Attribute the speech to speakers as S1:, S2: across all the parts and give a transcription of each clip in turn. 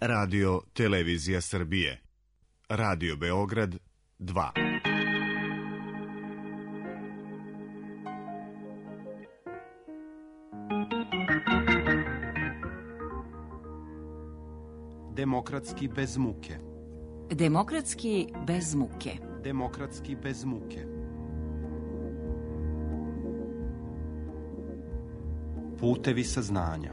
S1: Radio Televizija Srbije. Radio Beograd 2.
S2: Demokratski bez muke.
S3: Demokratski bez muke.
S2: Demokratski bez muke. Putevi saznanja.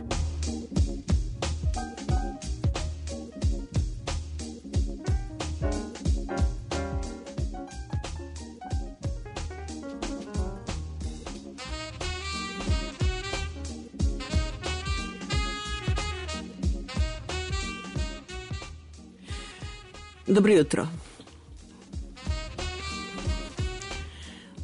S4: Dobro jutro.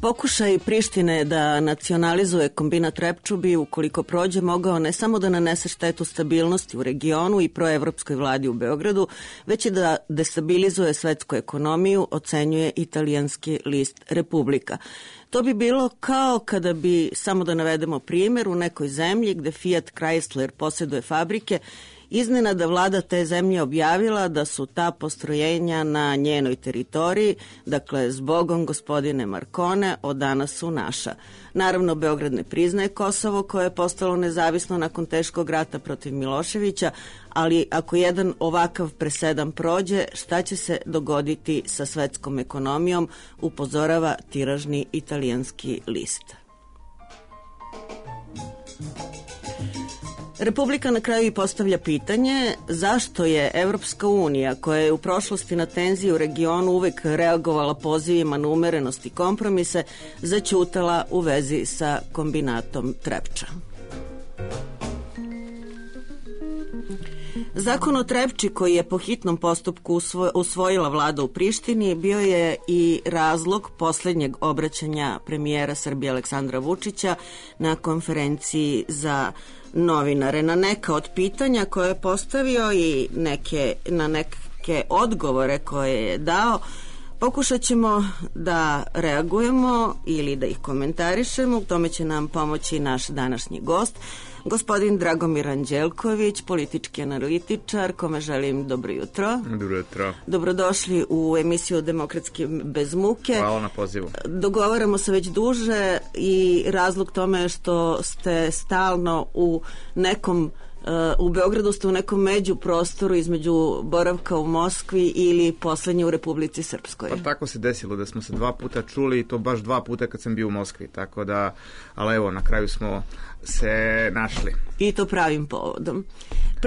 S4: Pokušaj Prištine da nacionalizuje kombinat Trepču bi, ukoliko prođe, mogao ne samo da nanese štetu stabilnosti u regionu i proevropskoj vladi u Beogradu, već i da destabilizuje svetsku ekonomiju, ocenjuje italijanski list Republika. To bi bilo kao kada bi, samo da navedemo primjer, u nekoj zemlji gde Fiat Chrysler posjeduje fabrike, iznenada vlada te zemlje objavila da su ta postrojenja na njenoj teritoriji, dakle, zbogom gospodine Marcone, od danas su naša. Naravno, Beograd ne priznaje Kosovo, koje je postalo nezavisno nakon teškog rata protiv Miloševića, ali ako jedan ovakav presedan prođe, šta će se dogoditi sa svetskom ekonomijom, upozorava tiražni italijanski list. Republika na kraju i postavlja pitanje zašto je Evropska unija, koja je u prošlosti na tenziji u regionu uvek reagovala pozivima na umerenost i kompromise, zaćutala u vezi sa kombinatom Trepča. Zakon o Trepči, koji je po hitnom postupku usvojila vlada u Prištini, bio je i razlog posljednjeg obraćanja premijera Srbije Aleksandra Vučića na konferenciji za novinare. Na neka od pitanja koje je postavio i na neke odgovore koje je dao, pokušat ćemo da reagujemo ili da ih komentarišemo. U tome će nam pomoći naš današnji gost, gospodin Dragomir Anđelković, politički analitičar, kome želim dobro jutro.
S5: Dobro jutro.
S4: Dobrodošli u emisiju Demokratski bez muke.
S5: Hvala na pozivu.
S4: Dogovaramo se već duže i razlog tome je što ste stalno u Beogradu ste u nekom međuprostoru između boravka u Moskvi ili poslednje u Republici Srpskoj.
S5: Pa tako se desilo da smo se 2 puta čuli i to baš 2 puta kad sam bio u Moskvi, tako da, ali evo, na kraju smo se našli. I to pravim povodom.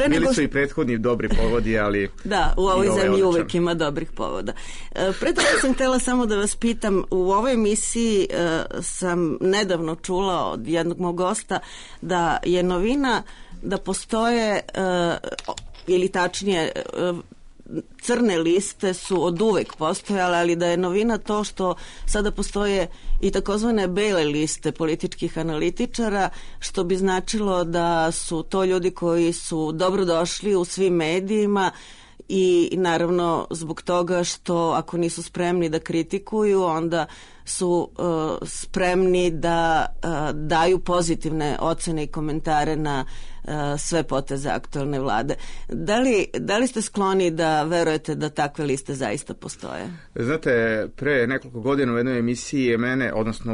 S5: Bili su i prethodni dobri povodi, ali... Da, u ovoj zemlji uvek ima dobrih povoda. Pre toga sam htjela samo da vas pitam, u ovoj emisiji sam nedavno čula od jednog mog gosta da je novina da postoje, ili tačnije, crne liste su od uvek postojale, ali da je novina to što sada postoje i takozvane bele liste političkih analitičara, što bi značilo da su to ljudi koji su dobrodošli u svim medijima i naravno zbog toga što ako nisu spremni da kritikuju, onda su spremni da daju pozitivne ocene i komentare na sve poteze aktualne vlade. Da li ste skloni da verujete da takve liste zaista postoje? Znate, pre nekoliko godina u jednoj emisiji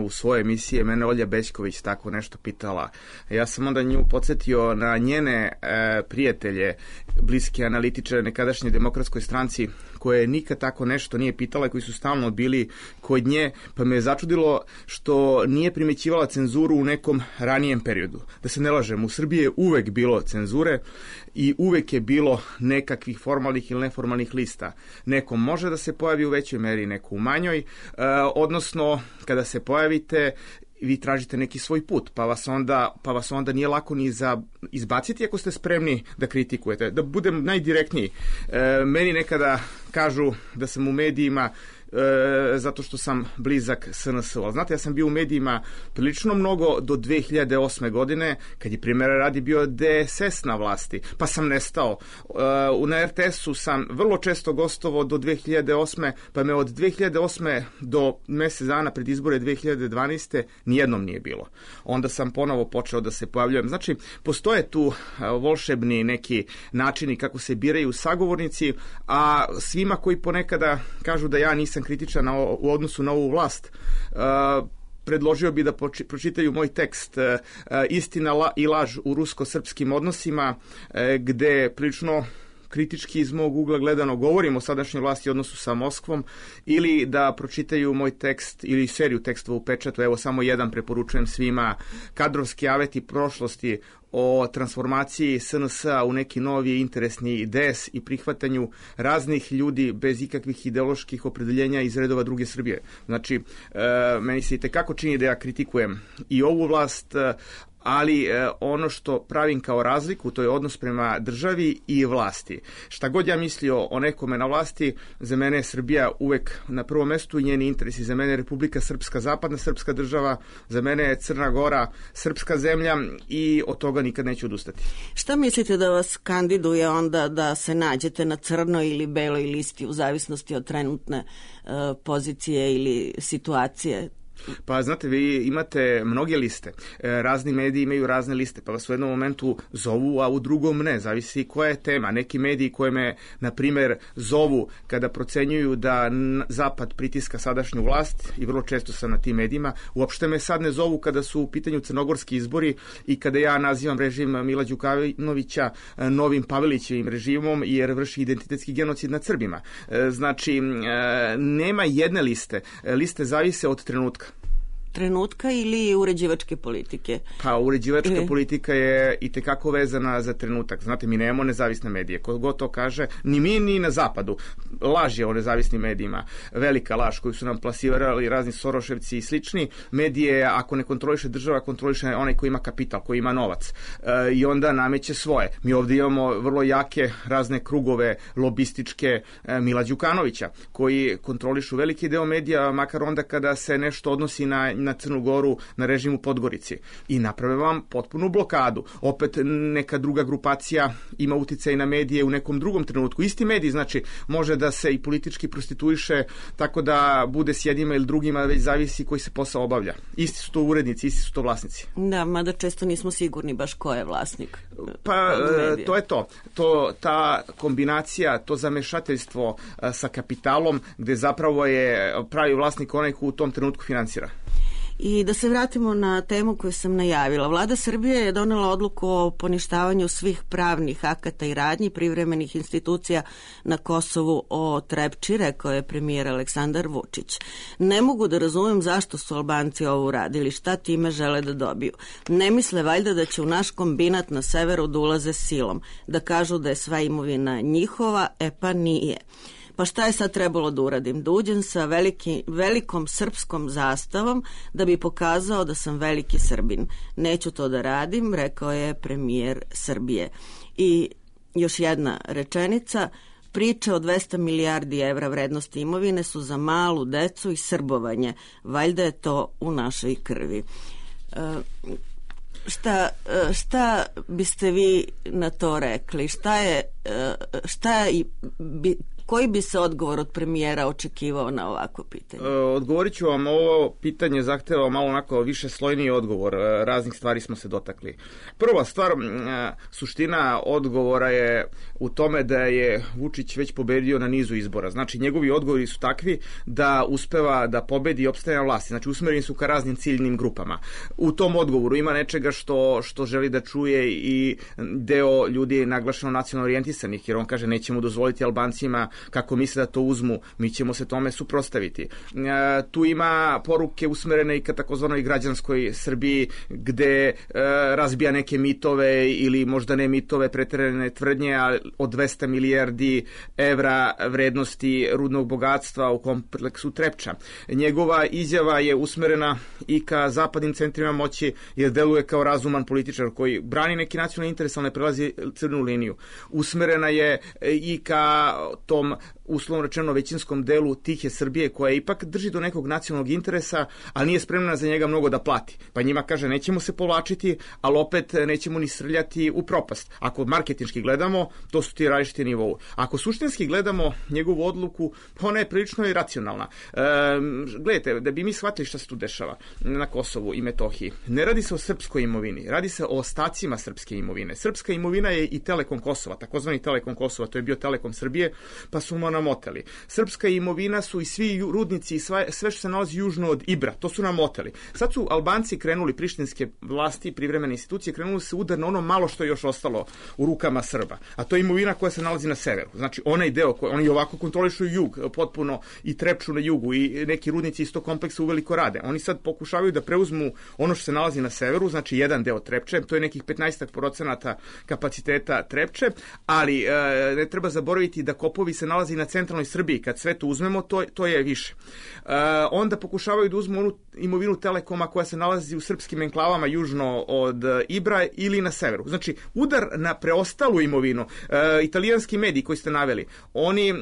S5: u svojoj emisiji mene Olja Bećković tako nešto pitala. Ja sam onda nju podsjetio na njene prijatelje, bliske analitičare nekadašnje Demokratskoj stranci, koje nikad tako nešto nije pitala, koji su stalno bili kod nje, pa me je začudilo što nije primećivala cenzuru u nekom ranijem periodu. Da se ne lažem, u Srbiji je uvek bilo cenzure i uvek je bilo nekakvih formalnih ili neformalnih lista. Neko može da se pojavi u većoj meri, neko u manjoj, odnosno kada se pojavite vi tražite neki svoj put, pa vas onda nije lako ni izbaciti ako ste spremni da kritikujete. Da budem najdirektniji, meni nekada kažu da sam u medijima zato što sam blizak SNS-u. Ali znate, ja sam bio u medijima prilično mnogo do 2008. godine, kad je primjera radi bio DSS na vlasti, pa sam nestao. Na RTS-u sam vrlo često gostovao do 2008. pa me od 2008. do mjesec dana pred izbore 2012. nijednom nije bilo. Onda sam ponovo počeo da se pojavljujem. Znači, postoje tu volšebni neki načini kako se biraju sagovornici, a svima koji ponekada kažu da ja nisam kritičan u odnosu na ovu vlast, predložio bi da pročitaju moj tekst Istina i laž u rusko-srpskim odnosima, gde prilično kritički iz mog ugla gledano govorim o sadašnjoj vlasti u odnosu sa Moskvom, ili da pročitaju moj tekst ili seriju tekstova u pečatu, evo samo jedan preporučujem svima, Kadrovski aveti prošlosti o transformaciji SNS-a u neki novi interesni IDS i prihvatanju raznih ljudi bez ikakvih ideoloških opredeljenja iz redova druge Srbije. Znači, meni se itekako čini da ja kritikujem i ovu vlast, ali ono što pravim kao razliku, to je odnos prema državi i vlasti. Šta god ja mislio o nekome na vlasti, za mene je Srbija uvek na prvom mestu i njeni interesi. Za mene je Republika Srpska, zapadna srpska država, za mene je Crna Gora, srpska zemlja i od toga nikad neću odustati.
S4: Šta mislite da vas kandiduje onda da se nađete na crnoj ili beloj listi u zavisnosti od trenutne pozicije ili situacije?
S5: Pa znate, vi imate mnoge liste, razni mediji imaju razne liste, pa vas u jednom momentu zovu, a u drugom ne, zavisi koja je tema. Neki mediji koje me, na primjer, zovu kada procenjuju da Zapad pritiska sadašnju vlast, i vrlo često sam na tim medijima, uopšte me sad ne zovu kada su u pitanju crnogorski izbori i kada ja nazivam režim Mila Đukanovića novim Pavelićevim režimom jer vrši identitetski genocid nad Srbima. Znači, nema jedne liste, liste zavise od trenutka.
S4: Trenutka ili uređivačke politike?
S5: Pa uređivačka politika je itekako vezana za trenutak. Znate, mi nemamo nezavisne medije. Ko god to kaže, ni mi ni na zapadu. Laž je o nezavisnim medijima. Velika laž koju su nam plasirali razni Soroševci i slični. Medije, ako ne kontroliše država, kontroliše onaj koji ima kapital, koji ima novac. I onda nameće svoje. Mi ovdje imamo vrlo jake razne krugove lobističke Mila Đukanovića, koji kontrolišu veliki deo medija, makar onda kada se nešto odnosi na Crnu Goru, na režim u Podgorici, i naprave vam potpunu blokadu. Opet neka druga grupacija ima uticaj na medije u nekom drugom trenutku. Isti medij, znači, može da se i politički prostituiše tako da bude s jednima ili drugima, već zavisi koji se posao obavlja. Isti su to urednici, isti su to vlasnici.
S4: Da, mada često nismo sigurni baš ko je vlasnik.
S5: Pa to je to. Ta kombinacija, to zamešateljstvo sa kapitalom, gde zapravo je pravi vlasnik onaj ko u tom trenutku finansira.
S4: I da se vratimo na temu koju sam najavila. Vlada Srbije je donela odluku o poništavanju svih pravnih akata i radnji privremenih institucija na Kosovu o Trepči, rekao je premijer Aleksandar Vučić. Ne mogu da razumem zašto su Albanci ovo uradili, šta time žele da dobiju. Ne misle valjda da će u naš kombinat na severu da ulaze silom, da kažu da je sva imovina njihova, pa nije. Pa šta je sad trebalo da uradim? Da uđem sa velikom srpskom zastavom da bi pokazao da sam veliki Srbin. Neću to da radim, rekao je premijer Srbije. I još jedna rečenica. Priče o 200 milijardi evra vrednosti imovine su za malu decu i srbovanje. Valjda je to u našoj krvi. Šta biste vi na to rekli? Koji bi se odgovor od premijera očekivao na ovako pitanje?
S5: Odgovorit ću vam, ovo pitanje zahteva malo onako više slojniji odgovor. Raznih stvari smo se dotakli. Prva stvar, suština odgovora je u tome da je Vučić već pobedio na nizu izbora. Znači, njegovi odgovori su takvi da uspeva da pobedi i opstaje na vlasti. Znači, usmereni su ka raznim ciljnim grupama. U tom odgovoru ima nečega što želi da čuje i deo ljudi naglašeno nacionalno orijentisanih, jer on kaže nećemo dozvoliti Albancima kako misle da to uzmu, mi ćemo se tome suprotstaviti. Tu ima poruke usmerene i ka takozvanoj građanskoj Srbiji, gde razbija neke mitove ili možda ne mitove, preterane tvrdnje od 200 milijardi evra vrednosti rudnog bogatstva u kompleksu Trepča. Njegova izjava je usmerena i ka zapadnim centrima moći, jer deluje kao razuman političar koji brani neki nacionalni interes, ali ne prelazi crnu liniju. Usmerena je i ka tom uslovno rečeno većinskom delu tihe Srbije, koja ipak drži do nekog nacionalnog interesa, ali nije spremna za njega mnogo da plati. Pa njima kaže, nećemo se povlačiti, ali opet nećemo ni srljati u propast. Ako marketinški gledamo, to su ti različiti nivou. Ako suštinski gledamo njegovu odluku, ona je prilično i racionalna. Gledajte, da bi mi shvatili šta se tu dešava na Kosovu i Metohiji, ne radi se o srpskoj imovini, radi se o ostacima srpske imovine. Srpska imovina je i Telekom Kosova, takozvani Telekom Kosova, to je bio Telekom Srbije, pa su mu namotali. Srpska imovina su i svi rudnici i sve što se nalazi južno od Ibra, to su namotali. Sad su Albanci krenuli, prištinske vlasti, privremene institucije, krenuli se udar na ono malo što je još ostalo u rukama Srba, a to je imovina koja se nalazi na severu. Znači, onaj deo koji oni ovako kontrolišu jug, potpuno i Trepču na jugu i neki rudnici iz tog kompleksa uveliko rade. Oni sad pokušavaju da preuzmu ono što se nalazi na severu, znači jedan deo Trepče, to je nekih 15% kapaciteta Trepče, ali ne treba zaboraviti da kopovi se nalazi na centralnoj Srbiji. Kad sve to uzmemo, to je više. Onda pokušavaju da uzmu onu imovinu Telekoma koja se nalazi u srpskim enklavama južno od Ibra ili na severu. Znači, udar na preostalu imovinu. Italijanski mediji koji ste naveli, oni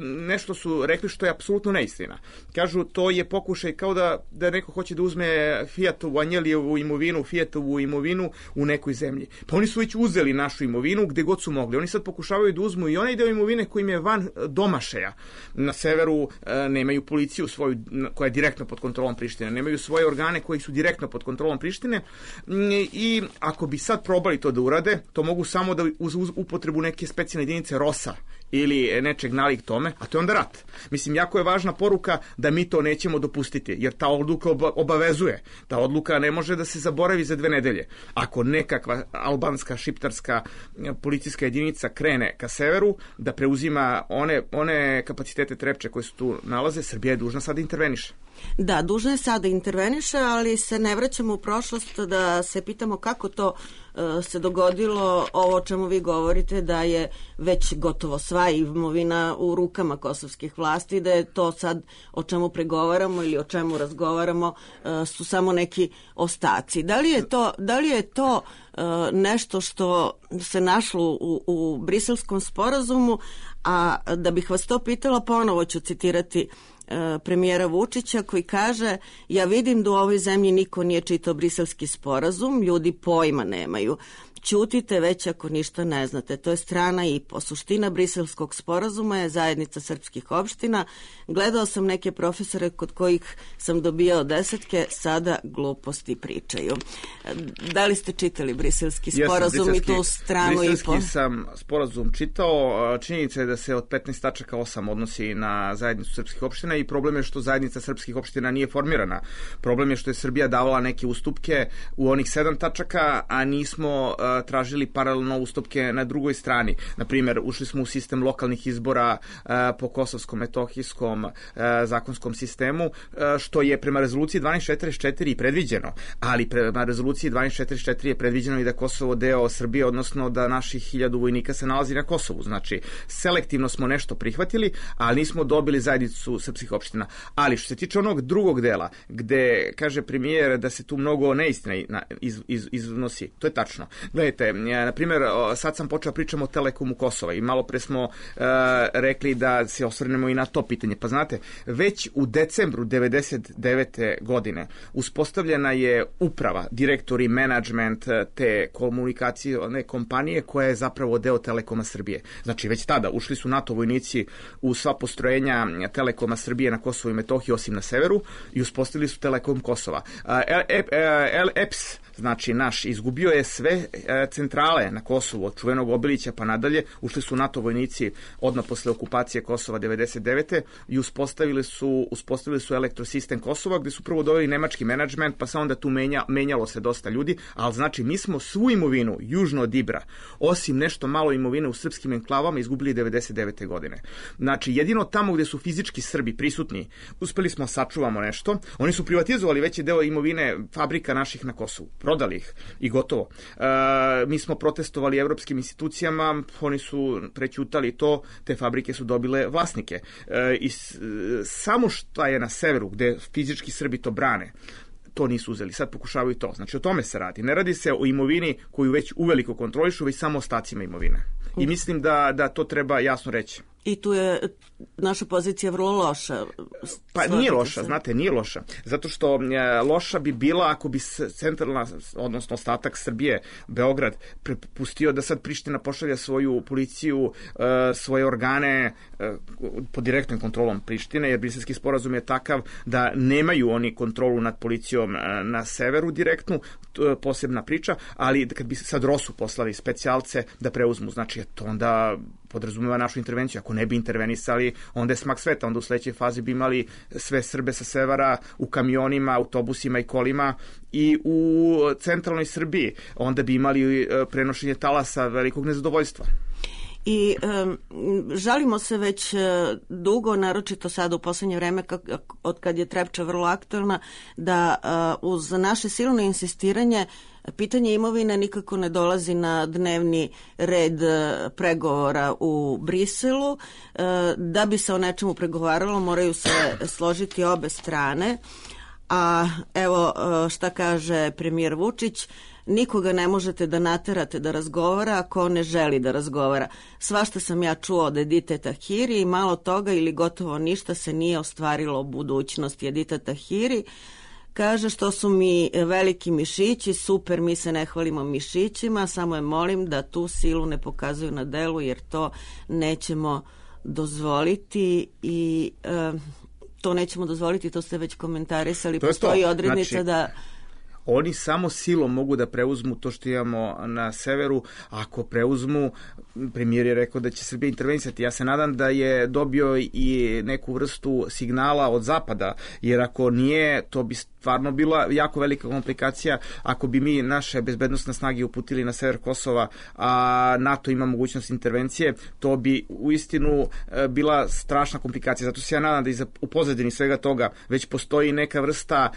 S5: nešto su rekli što je apsolutno neistina. Kažu, to je pokušaj kao da neko hoće da uzme Fiatovu, Anjelijevu imovinu, Fiatovu imovinu u nekoj zemlji. Pa oni su već uzeli našu imovinu gde god su mogli. Oni sad pokušavaju da uzmu i onaj deo imovine koji im je van domašaja. Na severu nemaju policiju svoju koja je direktno pod kontrolom Prištine, nemaju svoje organe koji su direktno pod kontrolom Prištine i ako bi sad probali to da urade, to mogu samo da uz upotrebu neke specijalne jedinice ROSA ili nečeg nalik tome, a to je onda rat. Mislim, jako je važna poruka da mi to nećemo dopustiti, jer ta odluka obavezuje. Ta odluka ne može da se zaboravi za 2 nedelje. Ako nekakva albanska, šiptarska policijska jedinica krene ka severu, da preuzima one kapacitete Trepče koje su tu nalaze, Srbija je dužna sada da interveniše.
S4: Da, dužna je sada interveniše, ali se ne vraćamo u prošlost da se pitamo kako to se dogodilo ovo o čemu vi govorite, da je već gotovo sva imovina u rukama kosovskih vlasti, da je to sad o čemu pregovaramo ili o čemu razgovaramo su samo neki ostaci. Da li je to nešto što se našlo u Briselskom sporazumu, a da bih vas to pitala, ponovo ću citirati premijera Vučića koji kaže: ja vidim da u ovoj zemlji niko nije čitao Briselski sporazum, ljudi pojma nemaju. Ćutite već ako ništa ne znate. To je strana i po. Suština Briselskog sporazuma je zajednica srpskih opština. Gledao sam neke profesore kod kojih sam dobijao 10, sada gluposti pričaju. Da li ste čitali Briselski sporazum i tu stranu i po?
S5: Briselski sam sporazum čitao. Činjenica je da se od 15 tačaka 8 odnosi na zajednicu srpskih opština i problem je što zajednica srpskih opština nije formirana. Problem je što je Srbija davala neke ustupke u onih 7 tačaka, a nismo tražili paralelno ustupke na drugoj strani. Naprimjer, ušli smo u sistem lokalnih izbora po kosovskom-metohijskom zakonskom sistemu, što je prema rezoluciji 1244 i predviđeno, ali prema rezoluciji 1244 je predviđeno i da Kosovo deo Srbije, odnosno da naših 1000 vojnika se nalazi na Kosovu. Znači, selektivno smo nešto prihvatili, ali nismo dobili zajednicu srpskih opština. Ali što se tiče onog drugog dela, gde kaže premijer da se tu mnogo neistina iznosi, to je tačno. Gledajte, na primjer, sad sam počeo pričamo o Telekomu Kosova i malo pre smo rekli da se osvrnemo i na to pitanje. Pa znate, već u decembru 99. godine uspostavljena je uprava, direktor i menadžment te komunikacione kompanije koja je zapravo deo Telekoma Srbije. Znači, već tada ušli su NATO vojnici u sva postrojenja Telekoma Srbije na Kosovu i Metohiji, osim na severu, i uspostavili su Telekom Kosova. EPS, znači naš, izgubio je sve centrale na Kosovu, od čuvenog Obilića pa nadalje, ušli su NATO vojnici odmah posle okupacije Kosova 99. i uspostavili su elektrosistem Kosova, gde su prvo doveli nemački menadžment, pa se onda tu menjalo se dosta ljudi, ali znači mi smo svu imovinu južno od Ibra, osim nešto malo imovine u srpskim enklavama, izgubili 99. godine. Znači, jedino tamo gde su fizički Srbi prisutni, uspeli smo sačuvamo nešto. Oni su privatizovali veći deo imovine fabrika naših na Kosovu, prodali ih i gotovo. Mi smo protestovali evropskim institucijama, oni su prećutali to, te fabrike su dobile vlasnike. I samo što je na severu, gde fizički Srbi to brane, to nisu uzeli, sad pokušavaju to. Znači, o tome se radi. Ne radi se o imovini koju već uveliko kontrolišu, već samo ostacima imovine. I mislim da to treba jasno reći.
S4: I tu je naša pozicija vrlo loša.
S5: Pa nije loša, znate, nije loša. Zato što loša bi bila ako bi centralna, odnosno ostatak Srbije, Beograd, prepustio da sad Priština pošalja svoju policiju, svoje organe pod direktnom kontrolom Prištine, jer Briselski sporazum je takav da nemaju oni kontrolu nad policijom na severu direktnu, posebna priča, ali kad bi sad ROSU poslali specijalce da preuzmu, znači to onda podrazumeva našu intervenciju. Ako ne bi intervenisali, onda je smak sveta. Onda u sledećoj fazi bi imali sve Srbe sa severa u kamionima, autobusima i kolima i u centralnoj Srbiji. Onda bi imali prenošenje talasa velikog nezadovoljstva.
S4: I žalimo se već dugo, naročito sada u poslednje vreme, od kad je Trepča vrlo aktuelna, da uz naše silno insistiranje pitanje imovine nikako ne dolazi na dnevni red pregovora u Briselu. Da bi se o nečemu pregovaralo, moraju se složiti obe strane. A evo šta kaže premijer Vučić: nikoga ne možete da naterate da razgovara ako on ne želi da razgovara. Svašta sam ja čuo od Edite Tahiri i malo toga ili gotovo ništa se nije ostvarilo u budućnosti. Edita Tahiri kaže: što su mi veliki mišići, super, mi se ne hvalimo mišićima, samo je molim da tu silu ne pokazuju na delu, jer to nećemo dozvoliti i to nećemo dozvoliti, to ste već komentarisali, postoji odrednica, znači, da
S5: oni samo silom mogu da preuzmu to što imamo na severu. Ako preuzmu, premijer je rekao da će Srbija intervenisati. Ja se nadam da je dobio i neku vrstu signala od zapada, jer ako nije, to bi stvarno bila jako velika komplikacija. Ako bi mi naše bezbednostne snage uputili na sever Kosova, a NATO ima mogućnost intervencije, to bi uistinu bila strašna komplikacija. Zato se ja nadam da u pozadini svega toga već postoji neka vrsta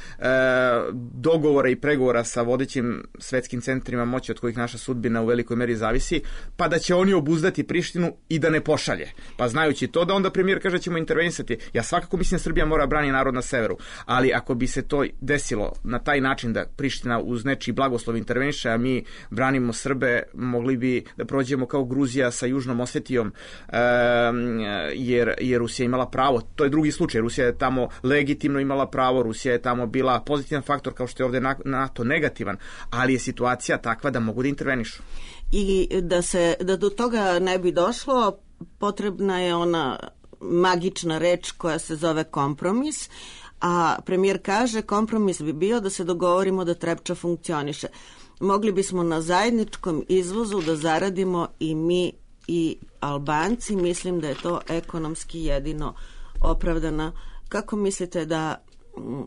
S5: dogovora i pregovora sa vodećim svetskim centrima moći od kojih naša sudbina u velikoj meri zavisi, pa da će oni obuzdati Prištinu i da ne pošalje. Pa znajući to, da onda premijer kaže ćemo intervenisati. Ja svakako mislim da Srbija mora brani narod na severu, ali ako bi se to desilo na taj način da Priština uz nečiji blagoslov interveniše, a mi branimo Srbe, mogli bi da prođemo kao Gruzija sa Južnom Osetijom, jer Rusija imala pravo. To je drugi slučaj. Rusija je tamo legitimno imala pravo, Rusija je tamo bila pozitivan faktor, kao što je ovde NATO negativan, ali je situacija takva da mogu da intervenišu.
S4: I da do toga ne bi došlo, potrebna je ona magična reč koja se zove kompromis, a premijer kaže kompromis bi bio da se dogovorimo da Trepča funkcioniše. Mogli bismo na zajedničkom izvozu da zaradimo i mi i Albanci. Mislim da je to ekonomski jedino opravdana. Kako mislite da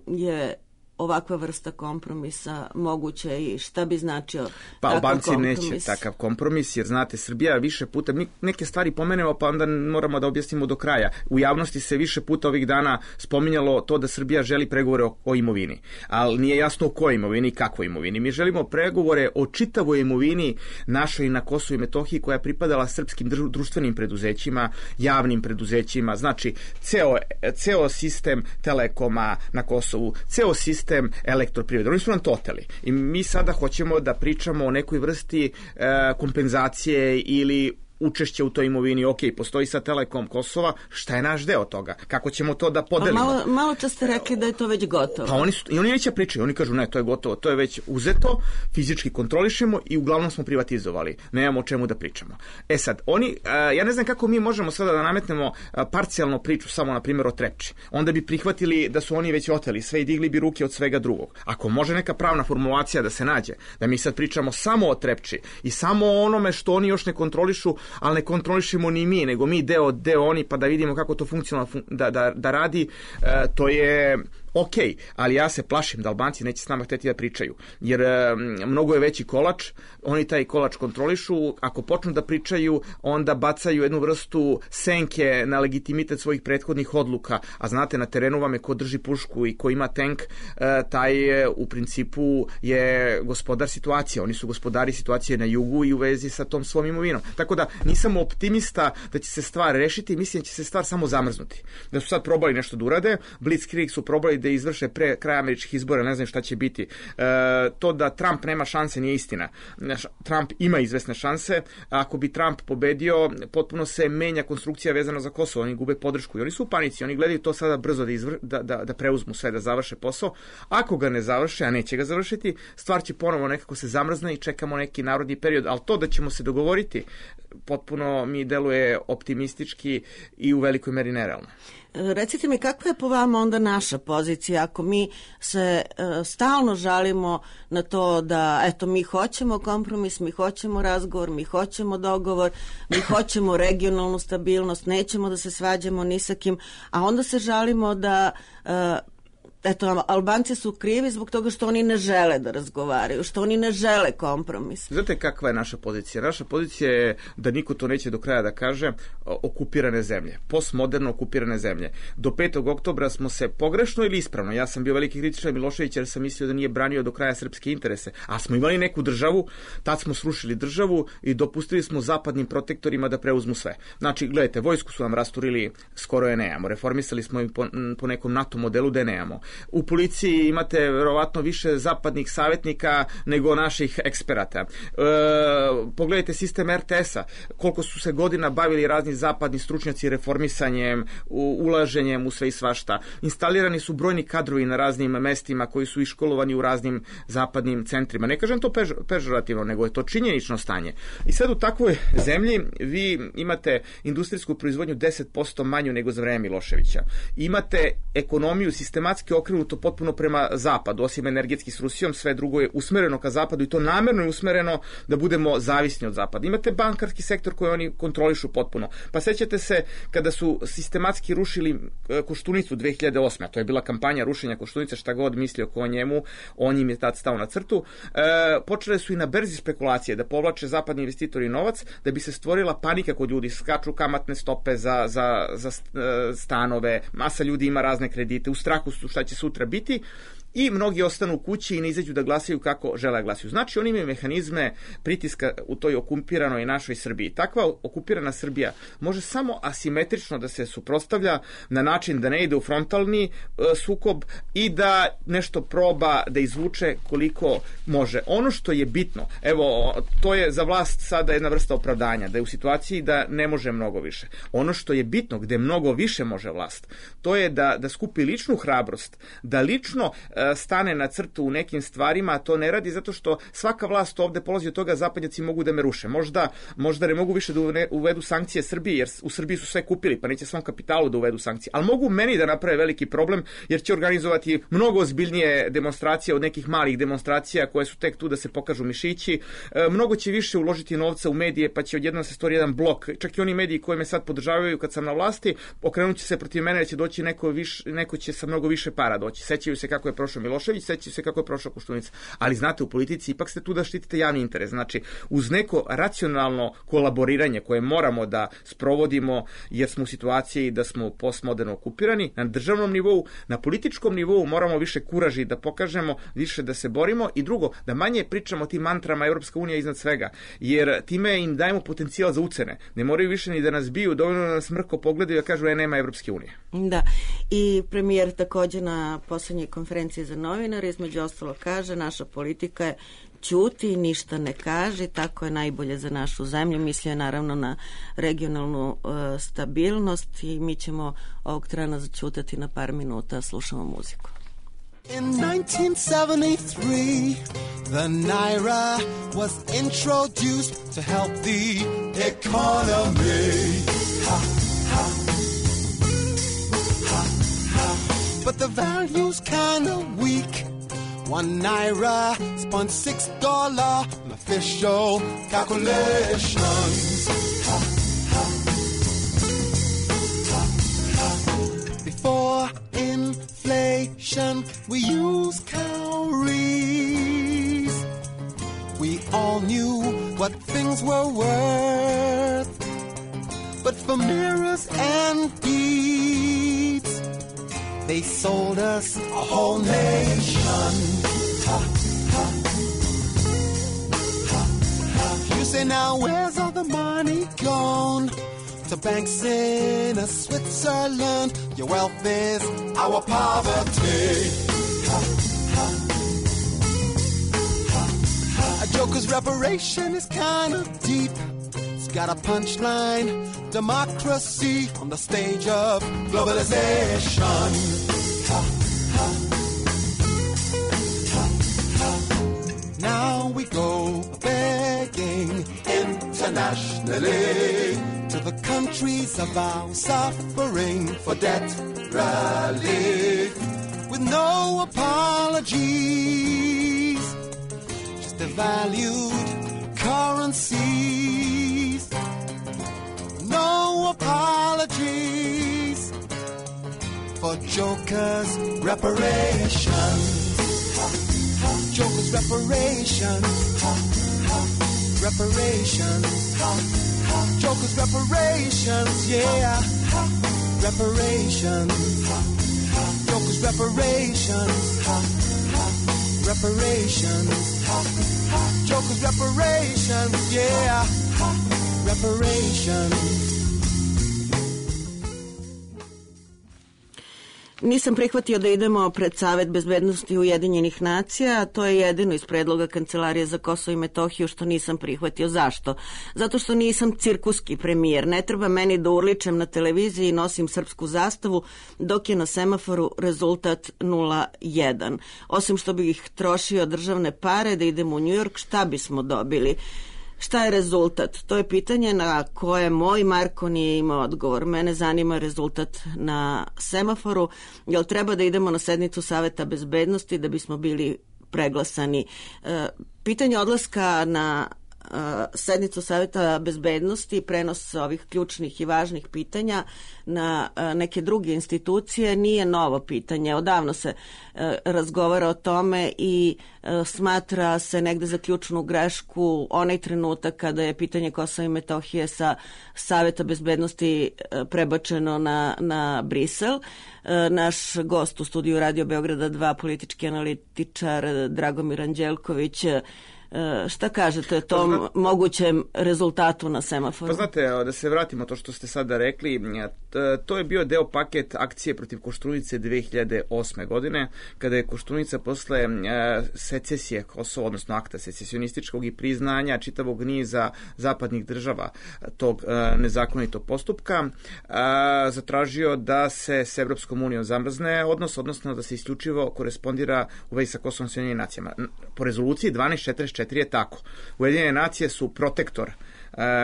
S4: je ovakva vrsta kompromisa moguće i šta bi značio
S5: pa
S4: takav
S5: Albanci
S4: kompromis?
S5: Neće takav kompromis, jer znate, Srbija više puta, mi neke stvari pomenemo pa onda moramo da objasnimo do kraja. U javnosti se više puta ovih dana spominjalo to da Srbija želi pregovore o imovini, ali nije jasno o kojoj imovini i kakvoj imovini. Mi želimo pregovore o čitavoj imovini našoj na Kosovu i Metohiji koja je pripadala srpskim društvenim preduzećima, javnim preduzećima, znači ceo sistem Telekoma na Kosovu, ceo sistem elektroprivrede. Oni su nam to oteli. I mi sada hoćemo da pričamo o nekoj vrsti kompenzacije ili učešće u toj imovini. Ok, postoji sad Telekom Kosova, šta je naš deo toga? Kako ćemo to da podelimo?
S4: Malo čas ste rekli da je to već gotovo.
S5: Pa oni neće pričati, oni kažu ne, to je gotovo, to je već uzeto, fizički kontrolišemo i uglavnom smo privatizovali. Nemamo o čemu da pričamo. E sad, ja ne znam kako mi možemo sada da nametnemo parcijalnu priču samo na primjer o Trepči. Onda bi prihvatili da su oni već oteli sve i digli bi ruke od svega drugog. Ako može neka pravna formulacija da se nađe, da mi sad pričamo samo o Trepči i samo o onome što oni još ne kontrolišu, ali ne kontrolišemo ni mi, nego mi deo oni, pa da vidimo kako to funkcionalno da radi, to je ok, ali ja se plašim da Albanci neće s nama hteti da pričaju, jer mnogo je veći kolač, oni taj kolač kontrolišu, ako počnu da pričaju, onda bacaju jednu vrstu senke na legitimitet svojih prethodnih odluka, a znate, na terenu vam je ko drži pušku i ko ima tank, taj u principu je gospodar situacije, oni su gospodari situacije na jugu i u vezi sa tom svom imovinom. Tako da nisam optimista da će se stvar rešiti, mislim da će se stvar samo zamrznuti. Da su sad probali nešto da urade, Blitzkrieg su probali da izvrše pre kraja američkih izbora, ne znam šta će biti. To da Trump nema šanse nije istina. Trump ima izvesne šanse. Ako bi Trump pobedio, potpuno se menja konstrukcija vezana za Kosovo. Oni gube podršku i oni su u panici. Oni gledaju to sada brzo da preuzmu sve, da završe posao. Ako ga ne završe, a neće ga završiti, stvar će ponovo nekako se zamrzne i čekamo neki narodni period. Ali to da ćemo se dogovoriti, potpuno mi deluje optimistički i u velikoj meri nerealno.
S4: Recite mi, kakva je po vama onda naša pozicija ako mi se stalno žalimo na to da eto mi hoćemo kompromis, mi hoćemo razgovor, mi hoćemo dogovor, mi hoćemo regionalnu stabilnost, nećemo da se svađamo ni sa kim, a onda se žalimo da eto, Albanci su krivi zbog toga što oni ne žele da razgovaraju, što oni ne žele kompromis.
S5: Znate kakva je naša pozicija? Naša pozicija je, da niko to neće do kraja da kaže, okupirane zemlje, postmoderno okupirane zemlje. Do 5. oktobra smo se pogrešno ili ispravno, ja sam bio veliki kritičar Miloševića jer sam mislio da nije branio do kraja srpske interese, a smo imali neku državu, tad smo srušili državu i dopustili smo zapadnim protektorima da preuzmu sve. Znači, gledajte, vojsku su nam rasturili, skoro je nemamo, reformisali smo i po nekom NATO modelu da je nemamo. U policiji imate verovatno više zapadnih savjetnika nego naših eksperata. Pogledajte sistem RTS-a, koliko su se godina bavili razni zapadni stručnjaci reformisanjem, ulaženjem u sve i svašta. Instalirani su brojni kadrovi na raznim mestima koji su iškolovani u raznim zapadnim centrima. Ne kažem to pežorativno, nego je to činjenično stanje. I sad u takvoj zemlji vi imate industrijsku proizvodnju 10% manju nego za vreme Miloševića. Imate ekonomiju sistematski okrenuto potpuno prema zapadu, osim energetski s Rusijom, sve drugo je usmereno ka zapadu i to namerno je usmereno da budemo zavisni od zapada. Imate bankarski sektor koji oni kontrolišu potpuno. Pa sećate se kada su sistematski rušili Koštunicu 2008. A to je bila kampanja rušenja Koštunice, šta god mislio ko o njemu, on im je tad stao na crtu. Počele su i na berzi spekulacije da povlače zapadni investitori novac, da bi se stvorila panika kod ljudi, skaču kamatne stope za stanove, masa ljudi ima razne kredite, u strahu su šta će sutra biti i mnogi ostanu u kući i ne izađu da glasaju kako žele glasaju. Znači, oni imaju mehanizme pritiska u toj okupiranoj našoj Srbiji. Takva okupirana Srbija može samo asimetrično da se suprotstavlja na način da ne ide u frontalni sukob i da nešto proba da izvuče koliko može. Ono što je bitno, evo, to je za vlast sada jedna vrsta opravdanja, da je u situaciji da ne može mnogo više. Ono što je bitno, gde mnogo više može vlast, to je da skupi ličnu hrabrost, da lično stane na crtu u nekim stvarima, a to ne radi zato što svaka vlast ovde polazi od toga zapadnjaci mogu da me ruše. Možda ne mogu više da uvedu sankcije Srbiji, jer u Srbiji su sve kupili, pa neće svom kapitalu da uvedu sankcije. Ali mogu meni da naprave veliki problem, jer će organizovati mnogo ozbiljnije demonstracije od nekih malih demonstracija koje su tek tu da se pokažu mišići. Mnogo će više uložiti novca u medije, pa će odjednom se stvori jedan blok. Čak i oni mediji koji me sad podržavaju kad sam na vlasti, okrenut će se protiv mene, će doći neko će sa mnogo više para doći. Sećaju se kako je prošao Milošević, sećaju se kako je prošla Koštunica. Ali znate, u politici ipak ste tu da štitite javni interes. Znači, uz neko racionalno kolaboriranje koje moramo da sprovodimo, jer smo u situaciji da smo postmoderno okupirani, na državnom nivou, na političkom nivou moramo više kuraži da pokažemo, više da se borimo i drugo, da manje pričamo o tim mantrama Evropska unija iznad svega, jer time im dajemo potencijal za ucene. Ne moraju više ni da nas biju, dovoljno da nas mrko pogledaju i da kažu nema Evropske unije.
S4: Da, i premijer također na poslednjoj konferenciji za novinare između ostalo kaže, naša politika je ćuti, ništa ne kaže, tako je najbolje za našu zemlju. Mislio je naravno na regionalnu stabilnost i mi ćemo ovog trena začutati na par minuta, slušamo muziku.
S6: In 1973, the Naira was introduced to help the economy. Ha, ha. Ha, ha. But the value's kind of weak. 1 Naira spun $6 on official calculations. Ha, ha. Ha, ha. Before inflation, we use calories. We all knew what things were worth. But for mirrors and beads, they sold us a whole nation. Ha, ha. Ha, ha. You say now, where's all the money gone? to banks in a Switzerland. Your wealth is our poverty. A joker's reparation is kind of deep. It's got a punchline, democracy on the stage of globalization. Now we go begging internationally to the countries of our suffering for debt relief with no apologies, just devalued currencies. No apologies for jokers' reparations. Jokers' reparations. Reparations. Jokers' reparations, yeah. Reparations. Jokers' reparations. Reparations. Jokers' reparations, yeah. Reparations.
S4: Nisam prihvatio da idemo pred Savet bezbednosti Ujedinjenih nacija, a to je jedino iz predloga Kancelarije za Kosovo i Metohiju što nisam prihvatio. Zašto? Zato što nisam cirkuski premijer. Ne treba meni da urličem na televiziji i nosim srpsku zastavu, dok je na semaforu rezultat 0-1. Osim što bih trošio državne pare da idemo u Njujork, šta bismo dobili? Šta je rezultat? To je pitanje na koje moj Marko nije imao odgovor. Mene zanima rezultat na semaforu. Jel treba da idemo na sednicu Saveta bezbednosti da bismo bili preglasani? Pitanje odlaska na sednicu Saveta bezbednosti, prenos ovih ključnih i važnih pitanja na neke druge institucije nije novo pitanje. Odavno se razgovara o tome i smatra se negde za ključnu grešku onaj trenutak kada je pitanje Kosova i Metohije sa Saveta bezbednosti prebačeno na Brisel. Naš gost u studiju Radio Beograda 2, politički analitičar Dragomir Anđelković, šta kažete o tom mogućem rezultatu na semaforu?
S5: Pa znate, da se vratimo to što ste sada rekli, to je bio deo paket akcije protiv Koštunice 2008. godine, kada je Koštunica posle secesije Kosova, odnosno akta secesionističkog i priznanja čitavog niza zapadnih država tog nezakonitog postupka, zatražio da se s Evropskom unijom zamrzne odnosno da se isključivo korespondira u vezi sa Kosovom s Ujedinjenim nacijama. Po rezoluciji 1244 je tako. Ujedinjene nacije su protektor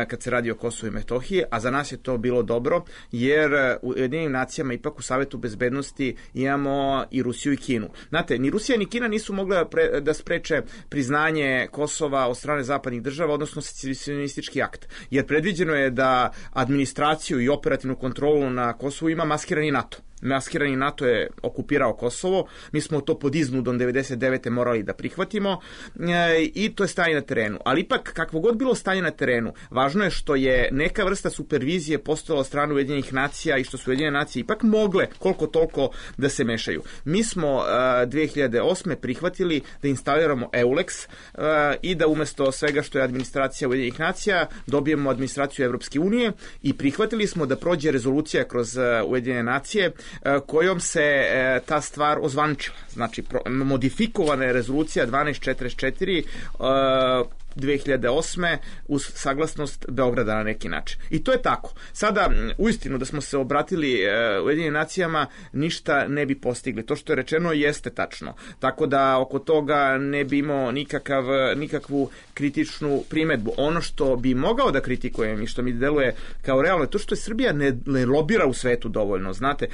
S5: kad se radi o Kosovu i Metohiji, a za nas je to bilo dobro, jer u Ujedinjenim nacijama ipak u Savetu bezbednosti imamo i Rusiju i Kinu. Znate, ni Rusija ni Kina nisu mogle da spreče priznanje Kosova od strane zapadnih država, odnosno secesionistički akt, jer predviđeno je da administraciju i operativnu kontrolu na Kosovu ima maskirani NATO. Maskirani NATO je okupirao Kosovo, mi smo to pod iznudom 99. morali da prihvatimo i to je stanje na terenu. Ali ipak, kakvo god bilo stanje na terenu, važno je što je neka vrsta supervizije postojala od strane Ujedinjenih nacija i što su Ujedinjene nacije ipak mogle koliko toliko da se mešaju. Mi smo 2008. prihvatili da instaliramo EULEX i da umesto svega što je administracija Ujedinjenih nacija dobijemo administraciju Evropske unije i prihvatili smo da prođe rezolucija kroz Ujedinjene nacije kojom se ta stvar ozvaničila. Znači, modifikovana je rezolucija 1244 2008. uz saglasnost Beograda na neki način. I to je tako. Sada, uistinu da smo se obratili Ujedinjenim nacijama, ništa ne bi postigli. To što je rečeno jeste tačno. Tako da oko toga ne bi imao nikakvu kritičnu primedbu. Ono što bi mogao da kritikujem i što mi deluje kao realno je to što je Srbija ne lobira u svetu dovoljno. Znate,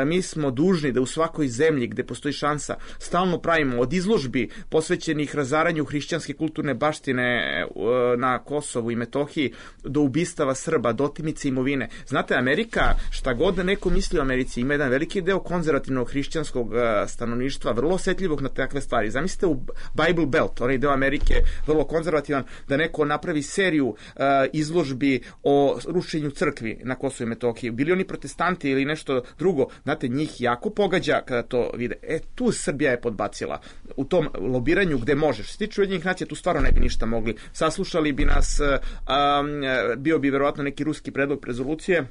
S5: mi smo dužni da u svakoj zemlji gde postoji šansa stalno pravimo od izložbi posvećenih razaranju hrišćanske kulturne baštine na Kosovu i Metohiji do ubistava Srba, do otimice imovine. Znate, Amerika, šta god da neko misli o Americi, ima jedan veliki deo konzervativnog hrišćanskog stanovništva, vrlo osjetljivog na takve stvari. Zamislite u Bible Belt, onaj deo Amerike, vrlo konzervativan, da neko napravi seriju izložbi o rušenju crkvi na Kosovu i Metohiji. Bili oni protestanti ili nešto drugo, znate, njih jako pogađa kada to vide. Tu Srbija je podbacila u tom lobiranju gde može. Što se tiče Ujedinjenih nacija tu stvarno ne bi ništa mogli. Saslušali bi nas, bio bi verovatno neki ruski predlog rezolucije,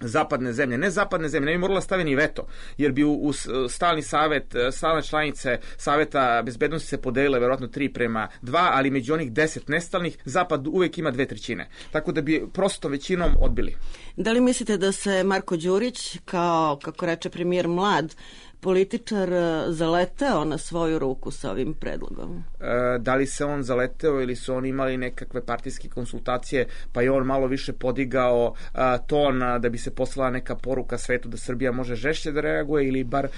S5: zapadne zemlje, ne bi morala staviti ni veto, jer bi u stalni savet, stalne članice Saveta bezbednosti se podelile verovatno 3:2, ali među onih 10 nestalnih, Zapad uvek ima 2/3. Tako da bi prosto većinom odbili.
S4: Da li mislite da se Marko Đurić, kao, kako reče premijer, mlad političar, zaleteo na svoju ruku sa ovim predlogom?
S5: Da li se on zaleteo ili su oni imali nekakve partijske konsultacije, pa je on malo više podigao ton da bi se poslala neka poruka svetu da Srbija može žešće da reaguje, ili bar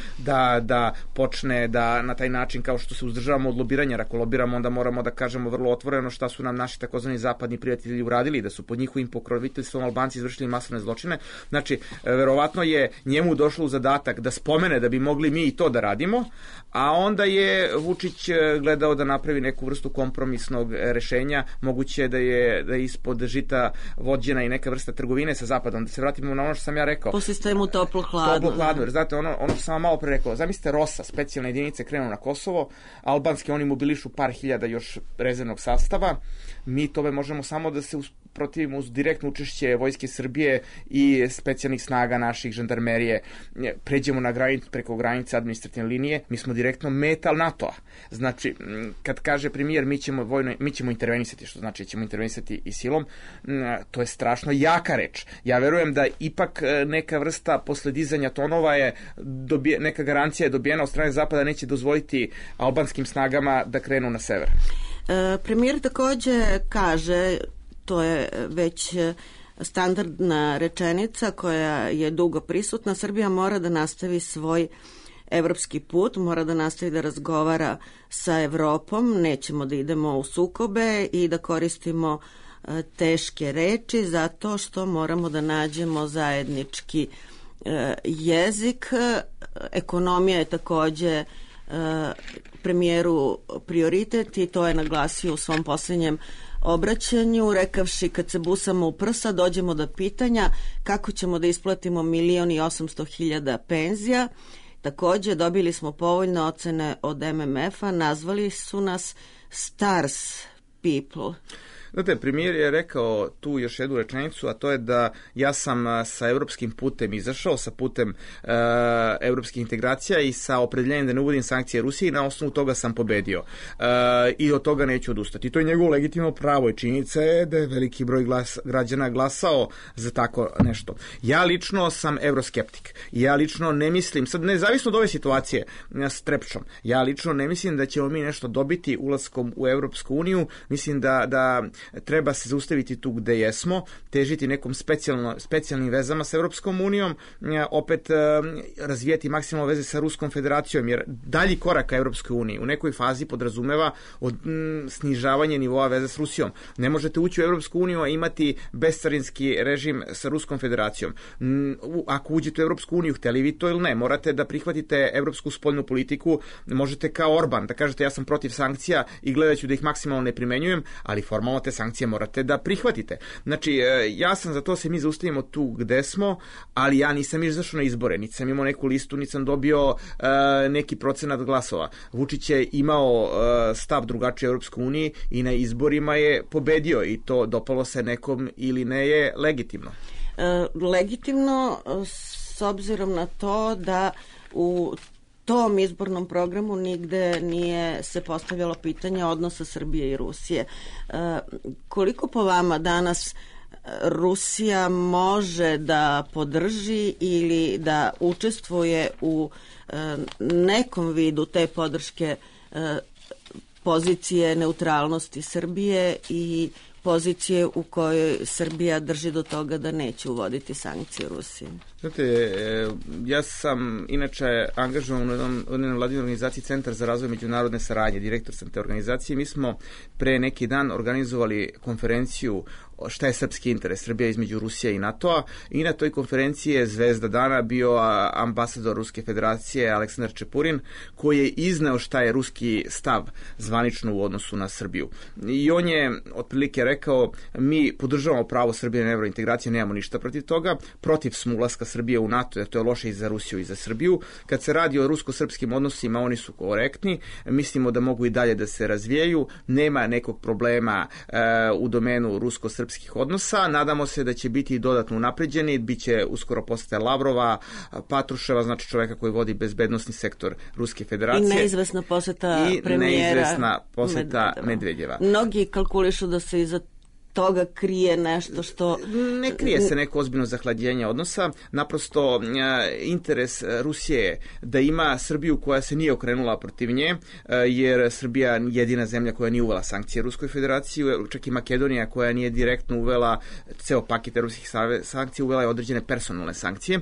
S5: da počne da na taj način, kao što se uzdržavamo od lobiranja, jer ako lobiramo onda moramo da kažemo vrlo otvoreno šta su nam naši takozvani zapadni prijatelji uradili, da su pod njihovim pokroviteljstvom Albanci izvršili masovne zločine. Znači, verovatno je njemu došlo u zadatak da spomene da bi mogli mi i to da radimo, a onda je Vučić gledao da napravi neku vrstu kompromisnog rešenja. Moguće da je ispod žita vođena i neka vrsta trgovine sa Zapadom. Da se vratimo na ono što sam ja rekao.
S4: Po sistemu toplo-hladno.
S5: Toplo-hladno, jer znate, ono što sam vam malo pre rekao, zamislite ROSA, specijalne jedinice krenu na Kosovo, albanski oni mobilišu par hiljada još rezervnog sastava, mi tome možemo samo da se protivimo uz direktno učešće Vojske Srbije i specijalnih snaga naših žandarmerije, pređemo na granicu, preko granice administrativne linije, mi smo direktno metal NATO-a. Znači, kad kaže premijer mi ćemo intervenisati, što znači ćemo intervenisati i silom, to je strašno jaka reč. Ja verujem da ipak neka vrsta posledizanja tonova je neka garancija je dobijena od strane Zapada, neće dozvoliti albanskim snagama da krenu na sever.
S4: Premijer takođe kaže, to je već standardna rečenica koja je dugo prisutna, Srbija mora da nastavi svoj evropski put, mora da nastavi da razgovara sa Evropom, nećemo da idemo u sukobe i da koristimo teške reči zato što moramo da nađemo zajednički jezik. Ekonomija je takođe premijeru prioritet i to je naglasio u svom posljednjem obraćanju, rekavši kad se busamo u prsa dođemo do pitanja kako ćemo da isplatimo 1.800.000 penzija. Takođe dobili smo povoljne ocene od MMF-a, nazvali su nas stars people.
S5: Znate, premijer je rekao tu još jednu rečenicu, a to je da ja sam sa evropskim putem izašao, sa putem evropskih integracija i sa opredeljenjem da ne uvodim sankcije Rusiji, i na osnovu toga sam pobedio. I od toga neću odustati. To je njegovo legitimno pravo i činjenica je da je veliki broj građana glasao za tako nešto. Ja lično sam euroskeptik. Ja lično ne mislim, sad nezavisno od ove situacije s Trepčom, ja lično ne mislim da ćemo mi nešto dobiti ulaskom u Evropsku uniju. Mislim da treba se zaustaviti tu gde jesmo, težiti nekom specijalnim vezama sa Evropskom unijom, opet razvijeti maksimalno veze sa Ruskom federacijom, jer dalji korak ka Evropskoj uniji u nekoj fazi podrazumeva snižavanje nivoa veze s Rusijom. Ne možete ući u Evropsku uniju a imati bescarinski režim sa Ruskom federacijom. Ako uđete u Evropsku uniju, hteli vi to ili ne, morate da prihvatite evropsku spoljnu politiku, možete kao Orban da kažete ja sam protiv sankcija i gledat ću da ih maksimalno ne primenjujem, ali formalno te sankcije morate da prihvatite. Znači, ja sam za to se mi zaustavimo tu gde smo, ali ja nisam izašao na izbore, niti sam imao neku listu, niti sam dobio neki procenat glasova. Vučić je imao stav drugačiji u Europskoj uniji i na izborima je pobedio i to dopalo se nekom ili ne je legitimno.
S4: Legitimno s obzirom na to da u tom izbornom programu nigde nije se postavljalo pitanje odnosa Srbije i Rusije. Koliko po vama danas Rusija može da podrži ili da učestvuje u nekom vidu te podrške pozicije neutralnosti Srbije i pozicije u kojoj Srbija drži do toga da neće uvoditi sankcije Rusiji?
S5: Znate, ja sam inače angažovan u jednoj vladinoj organizaciji Centar za razvoj međunarodne saradnje, direktor sam te organizacije. Mi smo pre neki dan organizovali konferenciju šta je srpski interes Srbija između Rusije i NATO-a, i na toj konferenciji je zvezda dana bio ambasador Ruske federacije Aleksandar Čepurin, koji je izneo šta je ruski stav zvanično u odnosu na Srbiju. I on je otprilike rekao, mi podržavamo pravo Srbije na evrointegraciju, nemamo ništa protiv toga, protiv smo ulaska Srbije u NATO, jer to je loše i za Rusiju i za Srbiju. Kad se radi o rusko-srpskim odnosima, oni su korektni, mislimo da mogu i dalje da se razvijaju, nema nekog problema u domenu rusko-srpskih odnosa, nadamo se da će biti dodatno unapređeni, bit će uskoro posete Lavrova, Patruševa, znači čoveka koji vodi bezbednosni sektor Ruske federacije.
S4: I neizvesna poseta premijera
S5: Medvedjeva.
S4: Mnogi kalkulišu da se iza toga krije nešto što...
S5: Ne krije se neko ozbiljno zahlađenje odnosa, naprosto interes Rusije je da ima Srbiju koja se nije okrenula protiv nje, jer Srbija jedina zemlja koja nije uvela sankcije Ruskoj federaciji, čak i Makedonija koja nije direktno uvela ceo paket ruskih sankcija, uvela je određene personalne sankcije.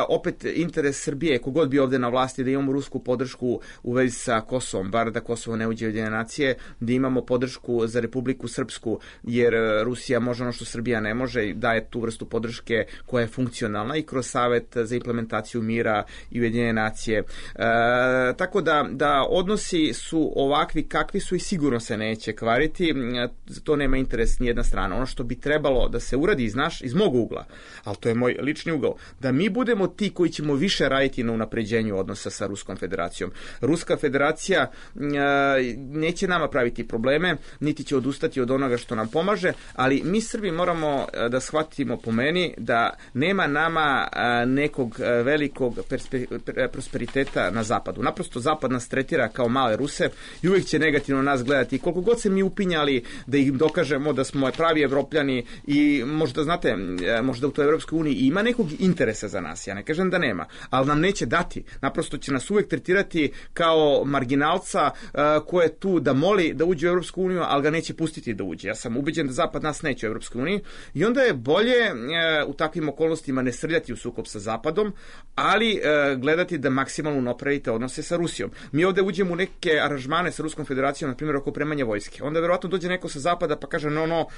S5: Opet interes Srbije, kogod bi ovde na vlasti, da imamo rusku podršku u vezi sa Kosovom, bar da Kosovo ne uđe u Ujedinjene nacije, da imamo podršku za Republiku Srpsku, jer Rusija može ono što Srbija ne može i daje tu vrstu podrške koja je funkcionalna i kroz Savet za implementaciju mira i Ujedinjene nacije. Tako da odnosi su ovakvi kakvi su i sigurno se neće kvariti, to nema interes nijedna strana. Ono što bi trebalo da se uradi iz mog ugla, ali to je moj lični ugao, da mi budemo ti koji ćemo više raditi na unapređenju odnosa sa Ruskom federacijom. Ruska federacija neće nama praviti probleme, niti će odustati od onoga što nam pomaže, ali mi Srbi moramo da shvatimo, po meni, da nema nama nekog velikog prosperiteta na zapadu. Naprosto zapad nas tretira kao male Ruse i uvijek će negativno nas gledati. Koliko god se mi upinjali da ih dokažemo da smo pravi Evropljani i možda, znate, možda u toj Evropskoj uniji ima nekog interesa za nas, ja ne kažem da nema, ali nam neće dati. Naprosto će nas uvijek tretirati kao marginalca ko je tu da moli da uđe u Evropsku uniju, ali ga neće pustiti da uđe. Ja sam ubeđen da Zapad nas neće u Evropskoj uniji i onda je bolje u takvim okolnostima ne srljati u sukob sa Zapadom, ali gledati da maksimalno napravite odnose sa Rusijom. Mi ovde uđemo u neke aranžmane sa Ruskom federacijom, na primjer oko opremanja vojske. Onda verovatno dođe neko sa Zapada pa kaže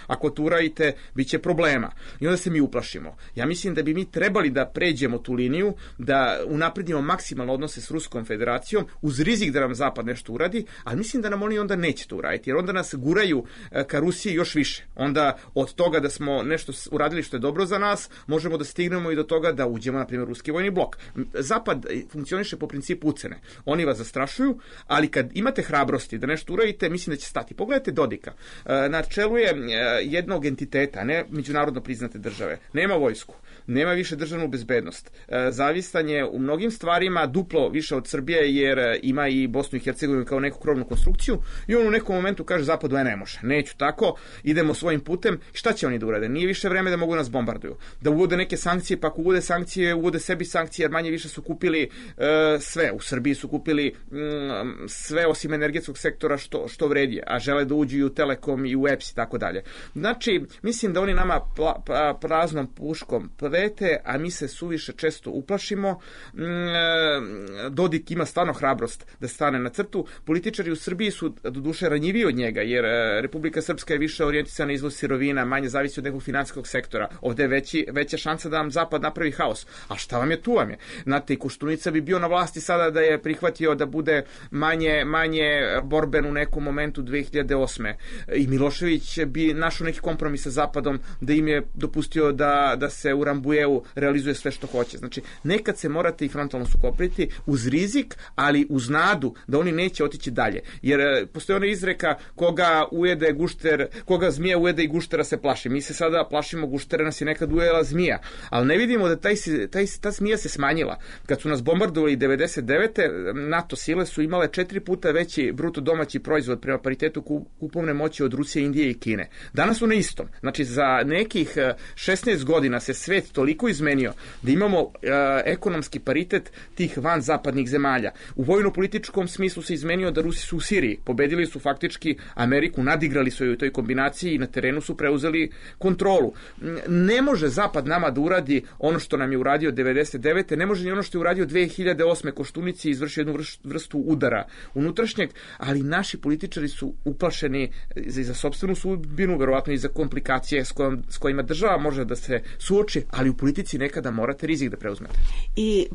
S5: ako tu radite, bit će problema. I onda se mi uplašimo. Ja mislim da bi mi trebali da pređemo tu liniju, da unapredimo maksimalno odnose s Ruskom federacijom, uz rizik da nam Zapad nešto uradi, ali mislim da nam oni onda neće to uraditi, jer onda nas guraju ka Rusiji još više. Onda od toga da smo nešto uradili što je dobro za nas, možemo da stignemo i do toga da uđemo, na primjer, ruski vojni blok. Zapad funkcioniše po principu ucene. Oni vas zastrašuju, ali kad imate hrabrosti da nešto uradite, mislim da će stati. Pogledajte Dodika. Na čelu je jednog entiteta, ne međunarodno priznate države. Nema vojsku, nema više državnu bezbednost. Zavistan je u mnogim stvarima duplo više od Srbije, jer ima i Bosnu i Hercegovinu kao neku krovnu konstrukciju i on u nekom momentu kaže Zapadu ne može, neću tako, idemo svojim putem. Šta će oni da urade? Nije više vreme da mogu nas bombarduju. Da uvode neke sankcije, pa ako uvode sankcije, uvode sebi sankcije, jer manje više su kupili sve. U Srbiji su kupili sve osim energetskog sektora što vredi, a žele da uđu i u Telekom i u EPS i tako dalje. Znači, mislim da oni nama praznom puškom prete, a mi se suviše često uplašimo. Dodik ima stvarno hrabrost da stane na crtu. Političari u Srbiji su doduše ranjiviji od njega, jer Republika Srpska je više orijentisana na izvoz sirovina, manje zavisi od nekog finansijskog sektora. Ovde je veća šansa da vam Zapad napravi haos. A šta vam je, tu vam je. Znate, i Koštunica bi bio na vlasti sada da je prihvatio da bude manje borben u nekom momentu 2008. I Milošević bi našao neki kompromis sa Zapadom da im je dopustio da se u Rambujeu realizuje sve što hoće. Znači, nekad se morate i frontalno sukobiti uz rizik, ali uz nadu da oni neće otići dalje. Jer postoji ona izreka koga zmija ujede i guštera se plaši. Mi se sada plašimo guštera, nas je nekad ujela zmija. Ali ne vidimo da ta zmija se smanjila. Kad su nas bombardovali 99. NATO sile su imale 4 puta veći bruto domaći proizvod prema paritetu kupovne moći od Rusije, Indije i Kine. Danas su na istom. Znači, za nekih 16 godina se svet toliko izmenio da imamo ekonomski paritet tih vanzapadnih zemalja. U vojno-političkom smislu se izmenio da Rusi su u Siriji. Pobedili su faktički Ameriku, nadigrali su ju u toj kombinaciji naprednjaci i na terenu su preuzeli kontrolu. Ne može Zapad nama da uradi ono što nam je uradio 99. Ne može ni ono što je uradio 2008. Koštunici i izvršio jednu vrstu udara unutrašnjeg, ali naši političari su uplašeni za sopstvenu sudbinu, verovatno i za komplikacije s kojima država može da se suoči, ali u politici nekada morate rizik da preuzmete.
S4: I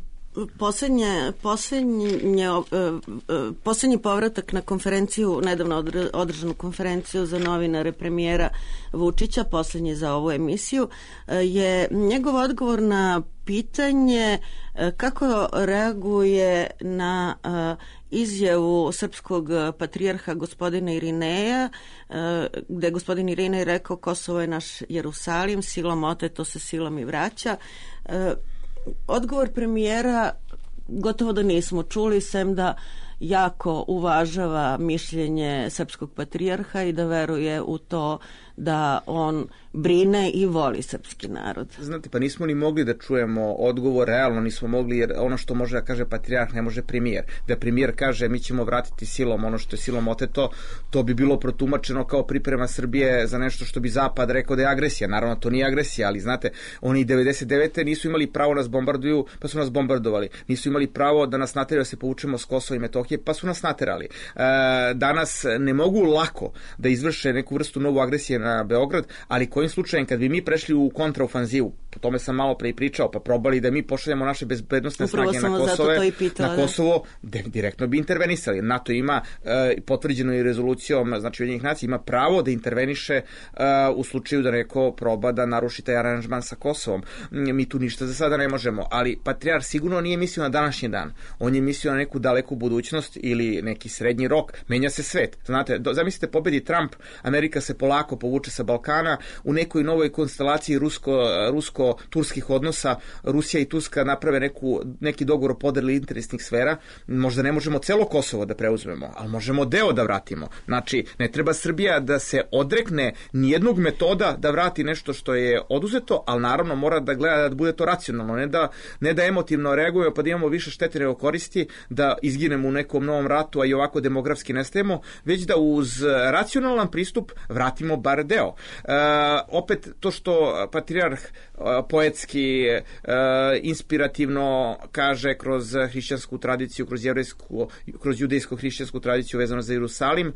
S4: Poslednji povratak na konferenciju, nedavno održanu konferenciju za novinare premijera Vučića, poslednji za ovu emisiju, je njegov odgovor na pitanje kako reaguje na izjavu srpskog patrijarha gospodina Irineja, gde je gospodin Irinej rekao Kosovo je naš Jerusalim, silom oteto se silom i vraća. Odgovor premijera gotovo da nismo čuli, sem da jako uvažava mišljenje srpskog patrijarha i da veruje u to da on brine i voli srpski narod.
S5: Znate, pa nismo ni mogli da čujemo odgovor, realno nismo mogli, jer ono što može da kaže patrijarh ne može premijer. Da premijer kaže mi ćemo vratiti silom ono što je silom oteto, to bi bilo protumačeno kao priprema Srbije za nešto što bi Zapad rekao da je agresija. Naravno, to nije agresija, ali znate, oni 99. nisu imali pravo nas bombarduju, pa su nas bombardovali. Nisu imali pravo da nas nateraju da se povučemo s Kosova i Metohije, pa su nas naterali. Danas ne mogu lako da izvrše neku vrstu novu agresije na Beograd, ali kojim slučajem kad bi mi prešli u kontraofanzivu, po tome sam malo pre i pričao, pa probali da mi pošaljemo naše bezbednostne snage na Kosovo, direktno bi intervenisali. NATO ima potvrđeno i rezolucijom, znači Ujedinjenih nacija, ima pravo da interveniše u slučaju da neko proba da naruši taj aranžman sa Kosovom. Mi tu ništa za sada ne možemo, ali patrijarh sigurno nije mislio na današnji dan. On je mislio na neku daleku budućnost ili neki srednji rok. Menja se svet. Znate, zamislite, pobedi Trump, Amerika se polako povuče sa Balkana, u nekoj novoj konstelaciji rusko-turskih odnosa, Rusija i Turska naprave neki dogovor o podeli interesnih sfera. Možda ne možemo celo Kosovo da preuzmemo, ali možemo deo da vratimo. Znači, ne treba Srbija da se odrekne nijednog metoda da vrati nešto što je oduzeto, ali naravno mora da gleda da bude to racionalno, ne da emotivno reagujemo pa da imamo više štete nego koristi, da izginemo u nekom novom ratu, a i ovako demografski nestajemo, već da uz racionalan pristup vratimo bar deo. Opet to što patrijarh poetski, inspirativno kaže kroz hrišćansku tradiciju, kroz judejsko-hrišćansku tradiciju vezano za Jerusalim,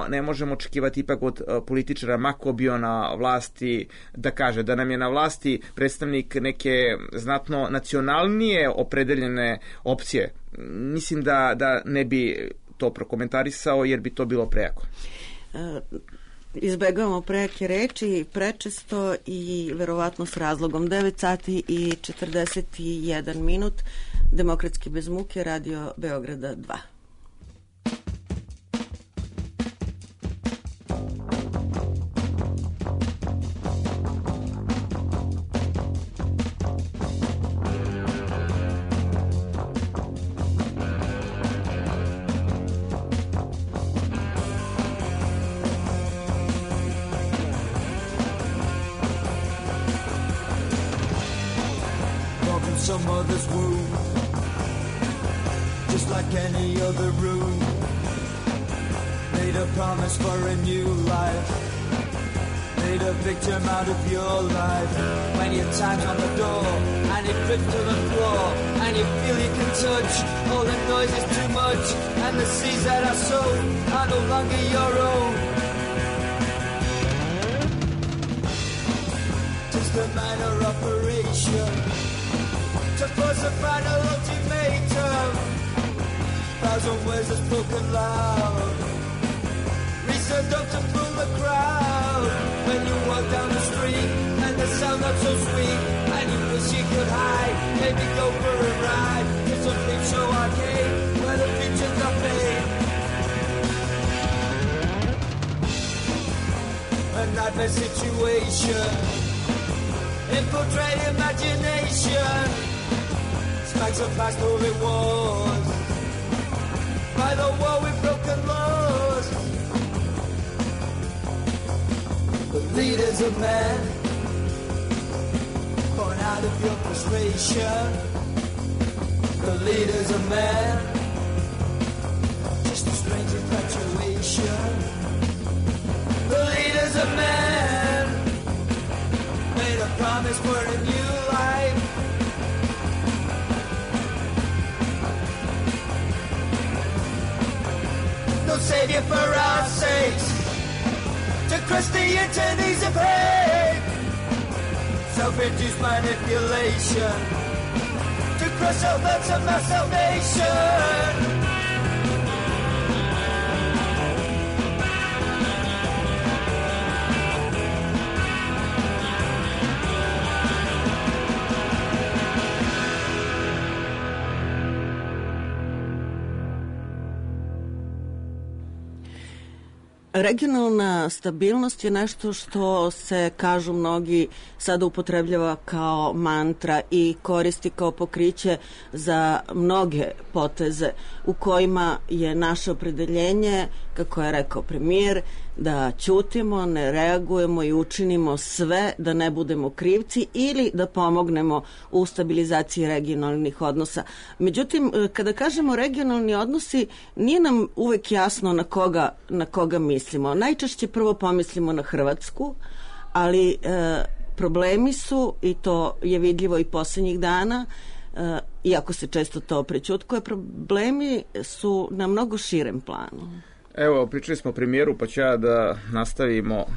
S5: ne možemo očekivati ipak od političara, mako bio na vlasti, da kaže da nam je na vlasti predstavnik neke znatno nacionalnije opredeljene opcije. Mislim da ne bi to prokomentarisao jer bi to bilo prejako.
S4: Izbegavamo prejake reči prečesto i verovatno s razlogom. 9 sati i 41 minut. Demokratski bez muke, Radio Beograda 2.
S7: Some other's wound, just like any other room. Made a promise for a new life, made a victim out of your life. When your time's on the door and it drips to the floor and you feel you can touch, all the noise is too much and the seas that are sown are no longer your own. Just a minor operation, just was a final ultimatum. 1,000 words are spoken loud, reason up to fool the crowd. When you walk down the street and the sound not so sweet, and you wish you could hide, maybe go for a ride. It's a flip show arcade where the features are paid. A nightmare situation, infiltrate imagination. Smacks of past who it was, by the war with broken laws. The leader's a man, born out of your frustration. The leader's a man, just a strange infatuation. a man made a promise for a new life. No savior for our sakes, to crush the eternities of hate. Self-induced manipulation, to crush all thoughts of my salvation.
S4: Regionalna stabilnost je nešto što se, kažu mnogi, sada upotrebljava kao mantra i koristi kao pokriće za mnoge poteze u kojima je naše opredeljenje, kako je rekao premijer, da ćutimo, ne reagujemo i učinimo sve da ne budemo krivci ili da pomognemo u stabilizaciji regionalnih odnosa. Međutim, kada kažemo regionalni odnosi, nije nam uvek jasno na koga mislimo. Najčešće prvo pomislimo na Hrvatsku, ali problemi su, i to je vidljivo i poslednjih dana, iako se često to prećutkuje, problemi su na mnogo širem planu.
S5: Evo, pričali smo o premijeru, pa ću ja da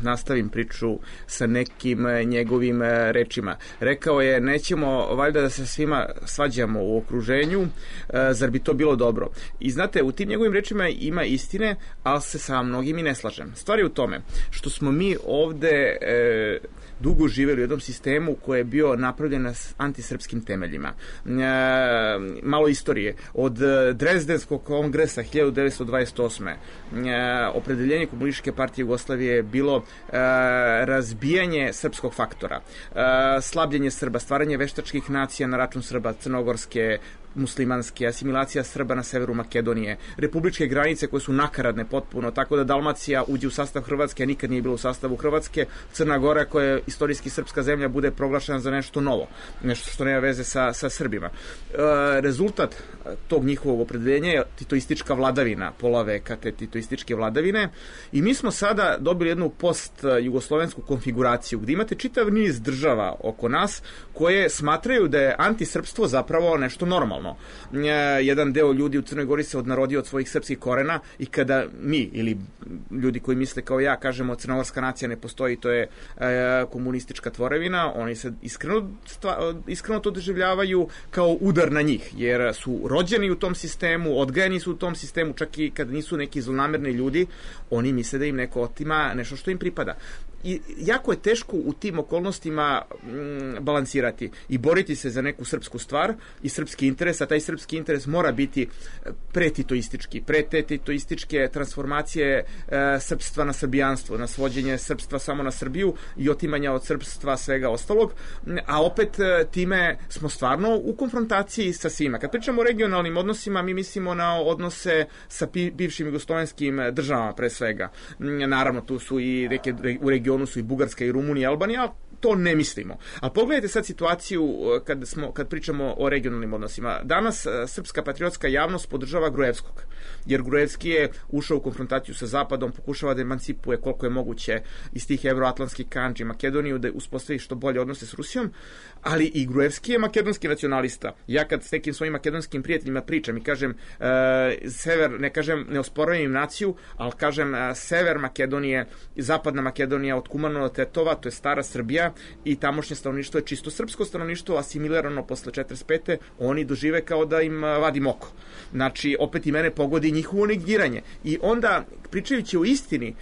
S5: nastavim priču sa nekim njegovim rečima. Rekao je, nećemo valjda da se svima svađamo u okruženju, zar bi to bilo dobro? I znate, u tim njegovim rečima ima istine, ali se sa mnogim i ne slažem. Stvar je u tome što smo mi ovde dugo živjeli u jednom sistemu koji je bio napravljen na antisrpskim temeljima. Malo istorije. Od Drezdenskog kongresa 1928. Opredeljenje Komunističke partije Jugoslavije je bilo razbijanje srpskog faktora, slabljenje Srba, stvaranje veštačkih nacija na račun Srba, crnogorske, muslimanske, asimilacija Srba na severu Makedonije, republičke granice koje su nakaradne potpuno, tako da Dalmacija uđe u sastav Hrvatske, a nikad nije bilo u sastavu Hrvatske, Crna Gora koja je istorijski srpska zemlja bude proglašena za nešto novo, nešto što nema veze sa Srbima. Rezultat tog njihovog opredeljenja je titoistička vladavina, pola veka te titoističke vladavine, i mi smo sada dobili jednu post-jugoslovensku konfiguraciju gdje imate čitav niz država oko nas koje smatraju da je antisrpstvo zapravo nešto normalno. Jedan deo ljudi u Crnoj Gori se odnarodio od svojih srpskih korena i kada mi, ili ljudi koji misle kao ja, kažemo crnogorska nacija ne postoji, to je komunistička tvorevina, oni se iskreno to doživljavaju kao udar na njih, jer su rođeni u tom sistemu, odgajani su u tom sistemu, čak i kad nisu neki zlonamerni ljudi, oni misle da im neko otima nešto što im pripada. I jako je teško u tim okolnostima balansirati i boriti se za neku srpsku stvar i srpski interes, a taj srpski interes mora biti pretitoistički, pre te titoističke transformacije srpstva na srbijanstvo, na svođenje srpstva samo na Srbiju i otimanja od srpstva svega ostalog, a opet time smo stvarno u konfrontaciji sa svima. Kad pričamo o regionalnim odnosima, mi mislimo na odnose sa bivšim jugoslovenskim državama pre svega. Naravno, tu su i neke u regionu su i Bugarska i Rumunija i Albanija, ali to ne mislimo. A pogledajte sad situaciju kad pričamo o regionalnim odnosima. Danas srpska patriotska javnost podržava Gruevskog, jer Gruevski je ušao u konfrontaciju sa Zapadom, pokušava da emancipuje koliko je moguće iz tih evroatlantskih kandži Makedoniju, da uspostavi što bolje odnose s Rusijom, ali i Gruevski je makedonski nacionalista. Ja kad s nekim svojim makedonskim prijateljima pričam i kažem sever, ne osporujem im naciju, ali kažem sever Makedonije, zapadna Makedonija od Kumanova do Tetova, to je stara Srbija i tamošnje stanovništvo je čisto srpsko stanovništvo, asimilirano posle 45. Oni dožive kao da im vadim oko. Znači, opet i mene pogodi njihovo negiranje. I onda, pričajući o istini,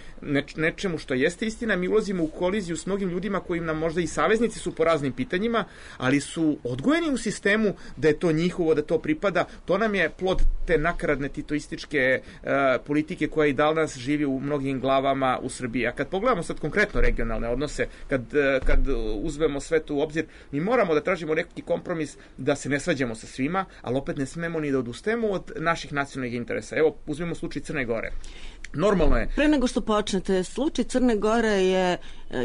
S5: nečemu što jeste istina, mi ulazimo u koliziju s mnogim ljudima koji nam možda i saveznici su po raznim pitanjima, ali su odgojeni u sistemu da je to njihovo, da to pripada. To nam je plod te nakaradne titoističke politike koja i danas živi u mnogim glavama u Srbiji. A kad pogledamo sad konkretno regionalne odnose, kad kad uzmemo sve to u obzir, mi moramo da tražimo neki kompromis da se ne svađamo sa svima, ali opet ne smemo ni da odustajemo od naših nacionalnih interesa. Evo, uzmemo slučaj Crne Gore. Normalno je.
S4: Pre nego što počnete, slučaj Crne Gore je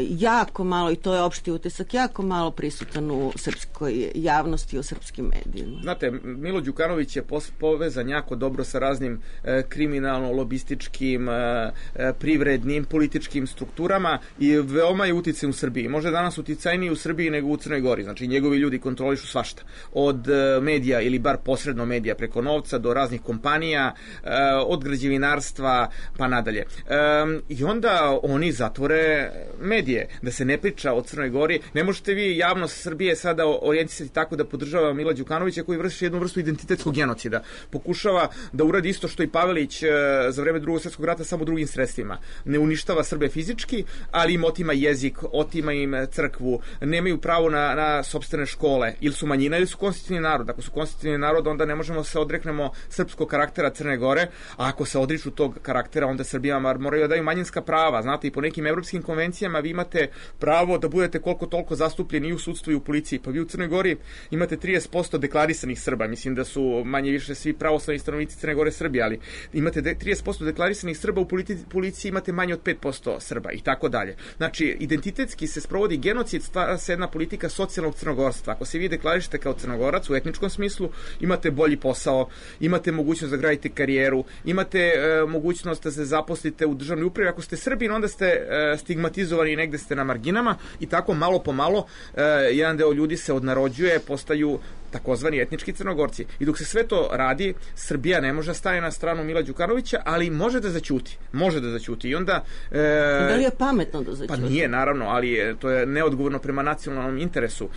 S4: jako malo, i to je opšti utisak, jako malo prisutan u srpskoj javnosti, u srpskim medijima.
S5: Znate, Milo Đukanović je povezan jako dobro sa raznim kriminalno-lobističkim, privrednim, političkim strukturama i veoma je uticaj u Srbiji. Može danas uticajniji u Srbiji nego u Crnoj Gori. Znači, njegovi ljudi kontrolišu svašta. Od medija ili bar posredno medija preko novca do raznih kompanija, od građevinarstva pa nadalje. I onda oni zatvore medije, da se ne priča o Crnoj Gori. Ne možete vi javnost Srbije sada orijentisati tako da podržava Mila Đukanovića koji vrši jednu vrstu identitetskog genocida. Pokušava da uradi isto što i Pavelić za vreme Drugog svjetskog rata samo drugim sredstvima. Ne uništava Srbe fizički, ali im otima jezik, otima im crkvu, nemaju pravo na sopstvene škole, ili su manjina ili su konstitutivni narod. Ako su konstitutivni narod, onda ne možemo se odreknemo srpskog karaktera Crne Gore, a ako se odriču tog karaktera, onda Srbijama moraju da daju manjinska prava. Znate, i po nekim evropskim konvencijama vi imate pravo da budete koliko toliko zastupljeni i u sudstvu i u policiji. Pa vi u Crnoj Gori imate 30% deklarisanih Srba. Mislim da su manje više svi pravoslavni stanovnici Crne Gore Srbi, ali imate 30% deklarisanih Srba, u policiji imate manje od 5% Srba i tako dalje. Znači, identitetski se sprovodi genocid, stvara se jedna politika socijalnog crnogorstva. Ako se vi deklarišete kao Crnogorac u etničkom smislu, imate bolji posao, imate mogućnost da gradite karijeru, imate mogućnost da se zaposlite u državnoj upravi. Ako ste Srbin, onda ste stigmatizovani i negde ste na marginama i tako malo po malo jedan deo ljudi se odnarođuje, postaju takozvani etnički Crnogorci. I dok se sve to radi, Srbija ne može stati na stranu Mila Đukanovića, ali može da zaćuti. Može da zaćuti. I onda...
S4: Da li je pametno da zaćuti?
S5: Pa nije, naravno, ali to je neodgovorno prema nacionalnom interesu.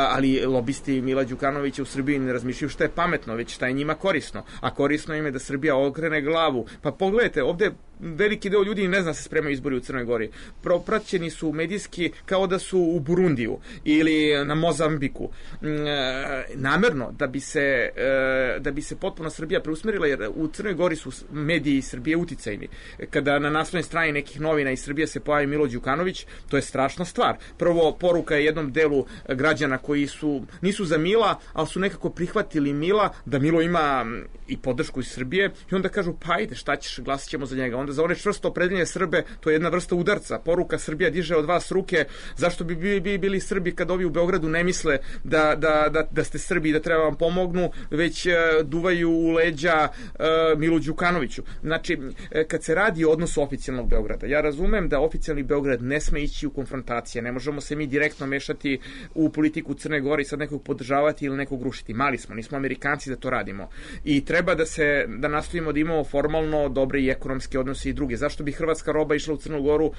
S5: Ali lobisti Mila Đukanovića u Srbiji ne razmišljaju šta je pametno, već šta je njima korisno. A korisno im je da Srbija okrene glavu. Pa pogledajte, ovde veliki deo ljudi ne zna se spremaju izbori u Crnoj Gori. Propraćeni su medijski kao da su u Burundiju ili na Mozambiku. Namerno, da bi se potpuno Srbija preusmerila, jer u Crnoj Gori su mediji Srbije uticajni. Kada na naslovnoj strani nekih novina iz Srbije se pojavi Milo Đukanović, to je strašna stvar. Prvo, poruka je jednom delu građana koji nisu za Mila, ali su nekako prihvatili Mila, da Milo ima i podršku iz Srbije, i onda kažu, pa ajde, šta ćeš, glasit ćemo za njega. Onda za one čvrsto opredeljene Srbe, to je jedna vrsta udarca. Poruka, Srbija diže od vas ruke, zašto bi bili Srbi kad ovi u Beogradu ne misle da ste Srbi i da treba vam pomognu, već duvaju u leđa Milu Đukanoviću. Znači, kad se radi o odnosu oficijalnog Beograda, ja razumem da oficijalni Beograd ne sme ići u konfrontacije, ne možemo se mi direktno mešati u politiku Crne Gore i sad nekog podržavati ili nekog rušiti. Mali smo, nismo Amerikanci da to radimo. I treba da nastavimo da imamo formalno dobre i ekonomske odnose i druge. Zašto bi hrvatska roba išla u Crnu Goru,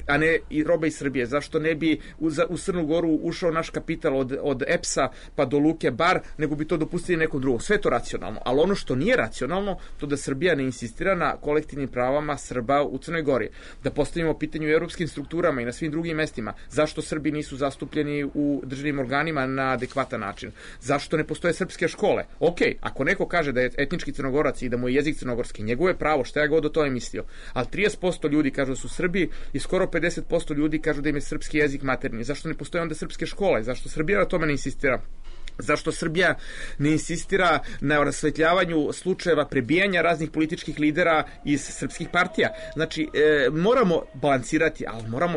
S5: a ne i roba iz Srbije? Zašto ne bi u Crnu Goru ušao naš kapital od EPS-a pa do Luke Bar, nego bi to dopustili nekom drugom? Sve to racionalno. Ali ono što nije racionalno, to da Srbija ne insistira na kolektivnim pravama Srba u Crnoj Gori. Da postavimo pitanje u europskim strukturama i na svim drugim mestima. Zašto Srbi nisu zastupljeni u državnim organima na adekvatan način? Zašto ne postoje srpske škole? Ok, ako neko kaže da je etnički Crnogorac i da mu je jezik crnogorski, njegovo je pravo, šta ja god o tome mislio. Ali 30% ljudi kažu da su Srbi i skoro 50% ljudi kažu da im je srpski jezik maternji. Zašto ne postoje onda srpske škole? Zašto Srbija na tome ne insistira? Zašto Srbija ne insistira na rasvetljavanju slučajeva prebijanja raznih političkih lidera iz srpskih partija? Znači, moramo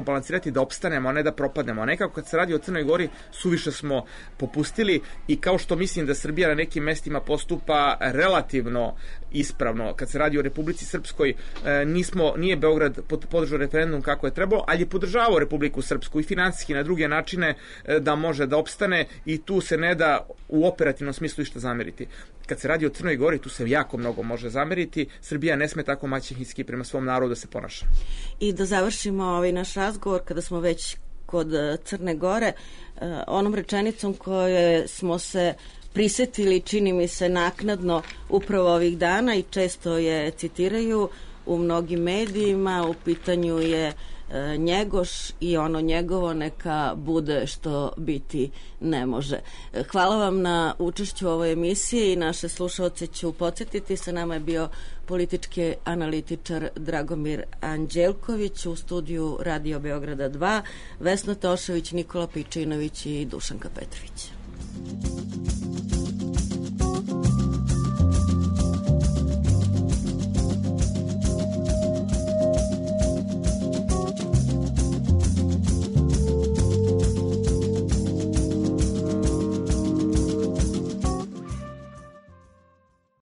S5: balansirati da opstanemo, a ne da propadnemo. A nekako kad se radi o Crnoj Gori, suviše smo popustili i kao što mislim da Srbija na nekim mestima postupa relativno ispravno, kad se radi o Republici Srpskoj, nije Beograd podržao referendum kako je trebalo, ali je podržavao Republiku Srpsku i finansijski na druge načine da može da opstane i tu se ne da u operativnom smislu išta zameriti. Kad se radi o Crnoj Gori, tu se jako mnogo može zameriti. Srbija ne sme tako maćehinski prema svom narodu da se ponaša.
S4: I da završimo ovaj naš razgovor, kada smo već kod Crne Gore, onom rečenicom koje smo se prisetili, čini mi se naknadno, upravo ovih dana i često je citiraju u mnogim medijima. U pitanju je Njegoš i ono njegovo neka bude što biti ne može. Hvala vam na učešću u ovoj emisiji i naše slušaoce ću podsjetiti. Sa nama je bio politički analitičar Dragomir Anđelković, u studiju Radio Beograda 2, Vesna Tošević, Nikola Pičinović i Dušanka Petrović.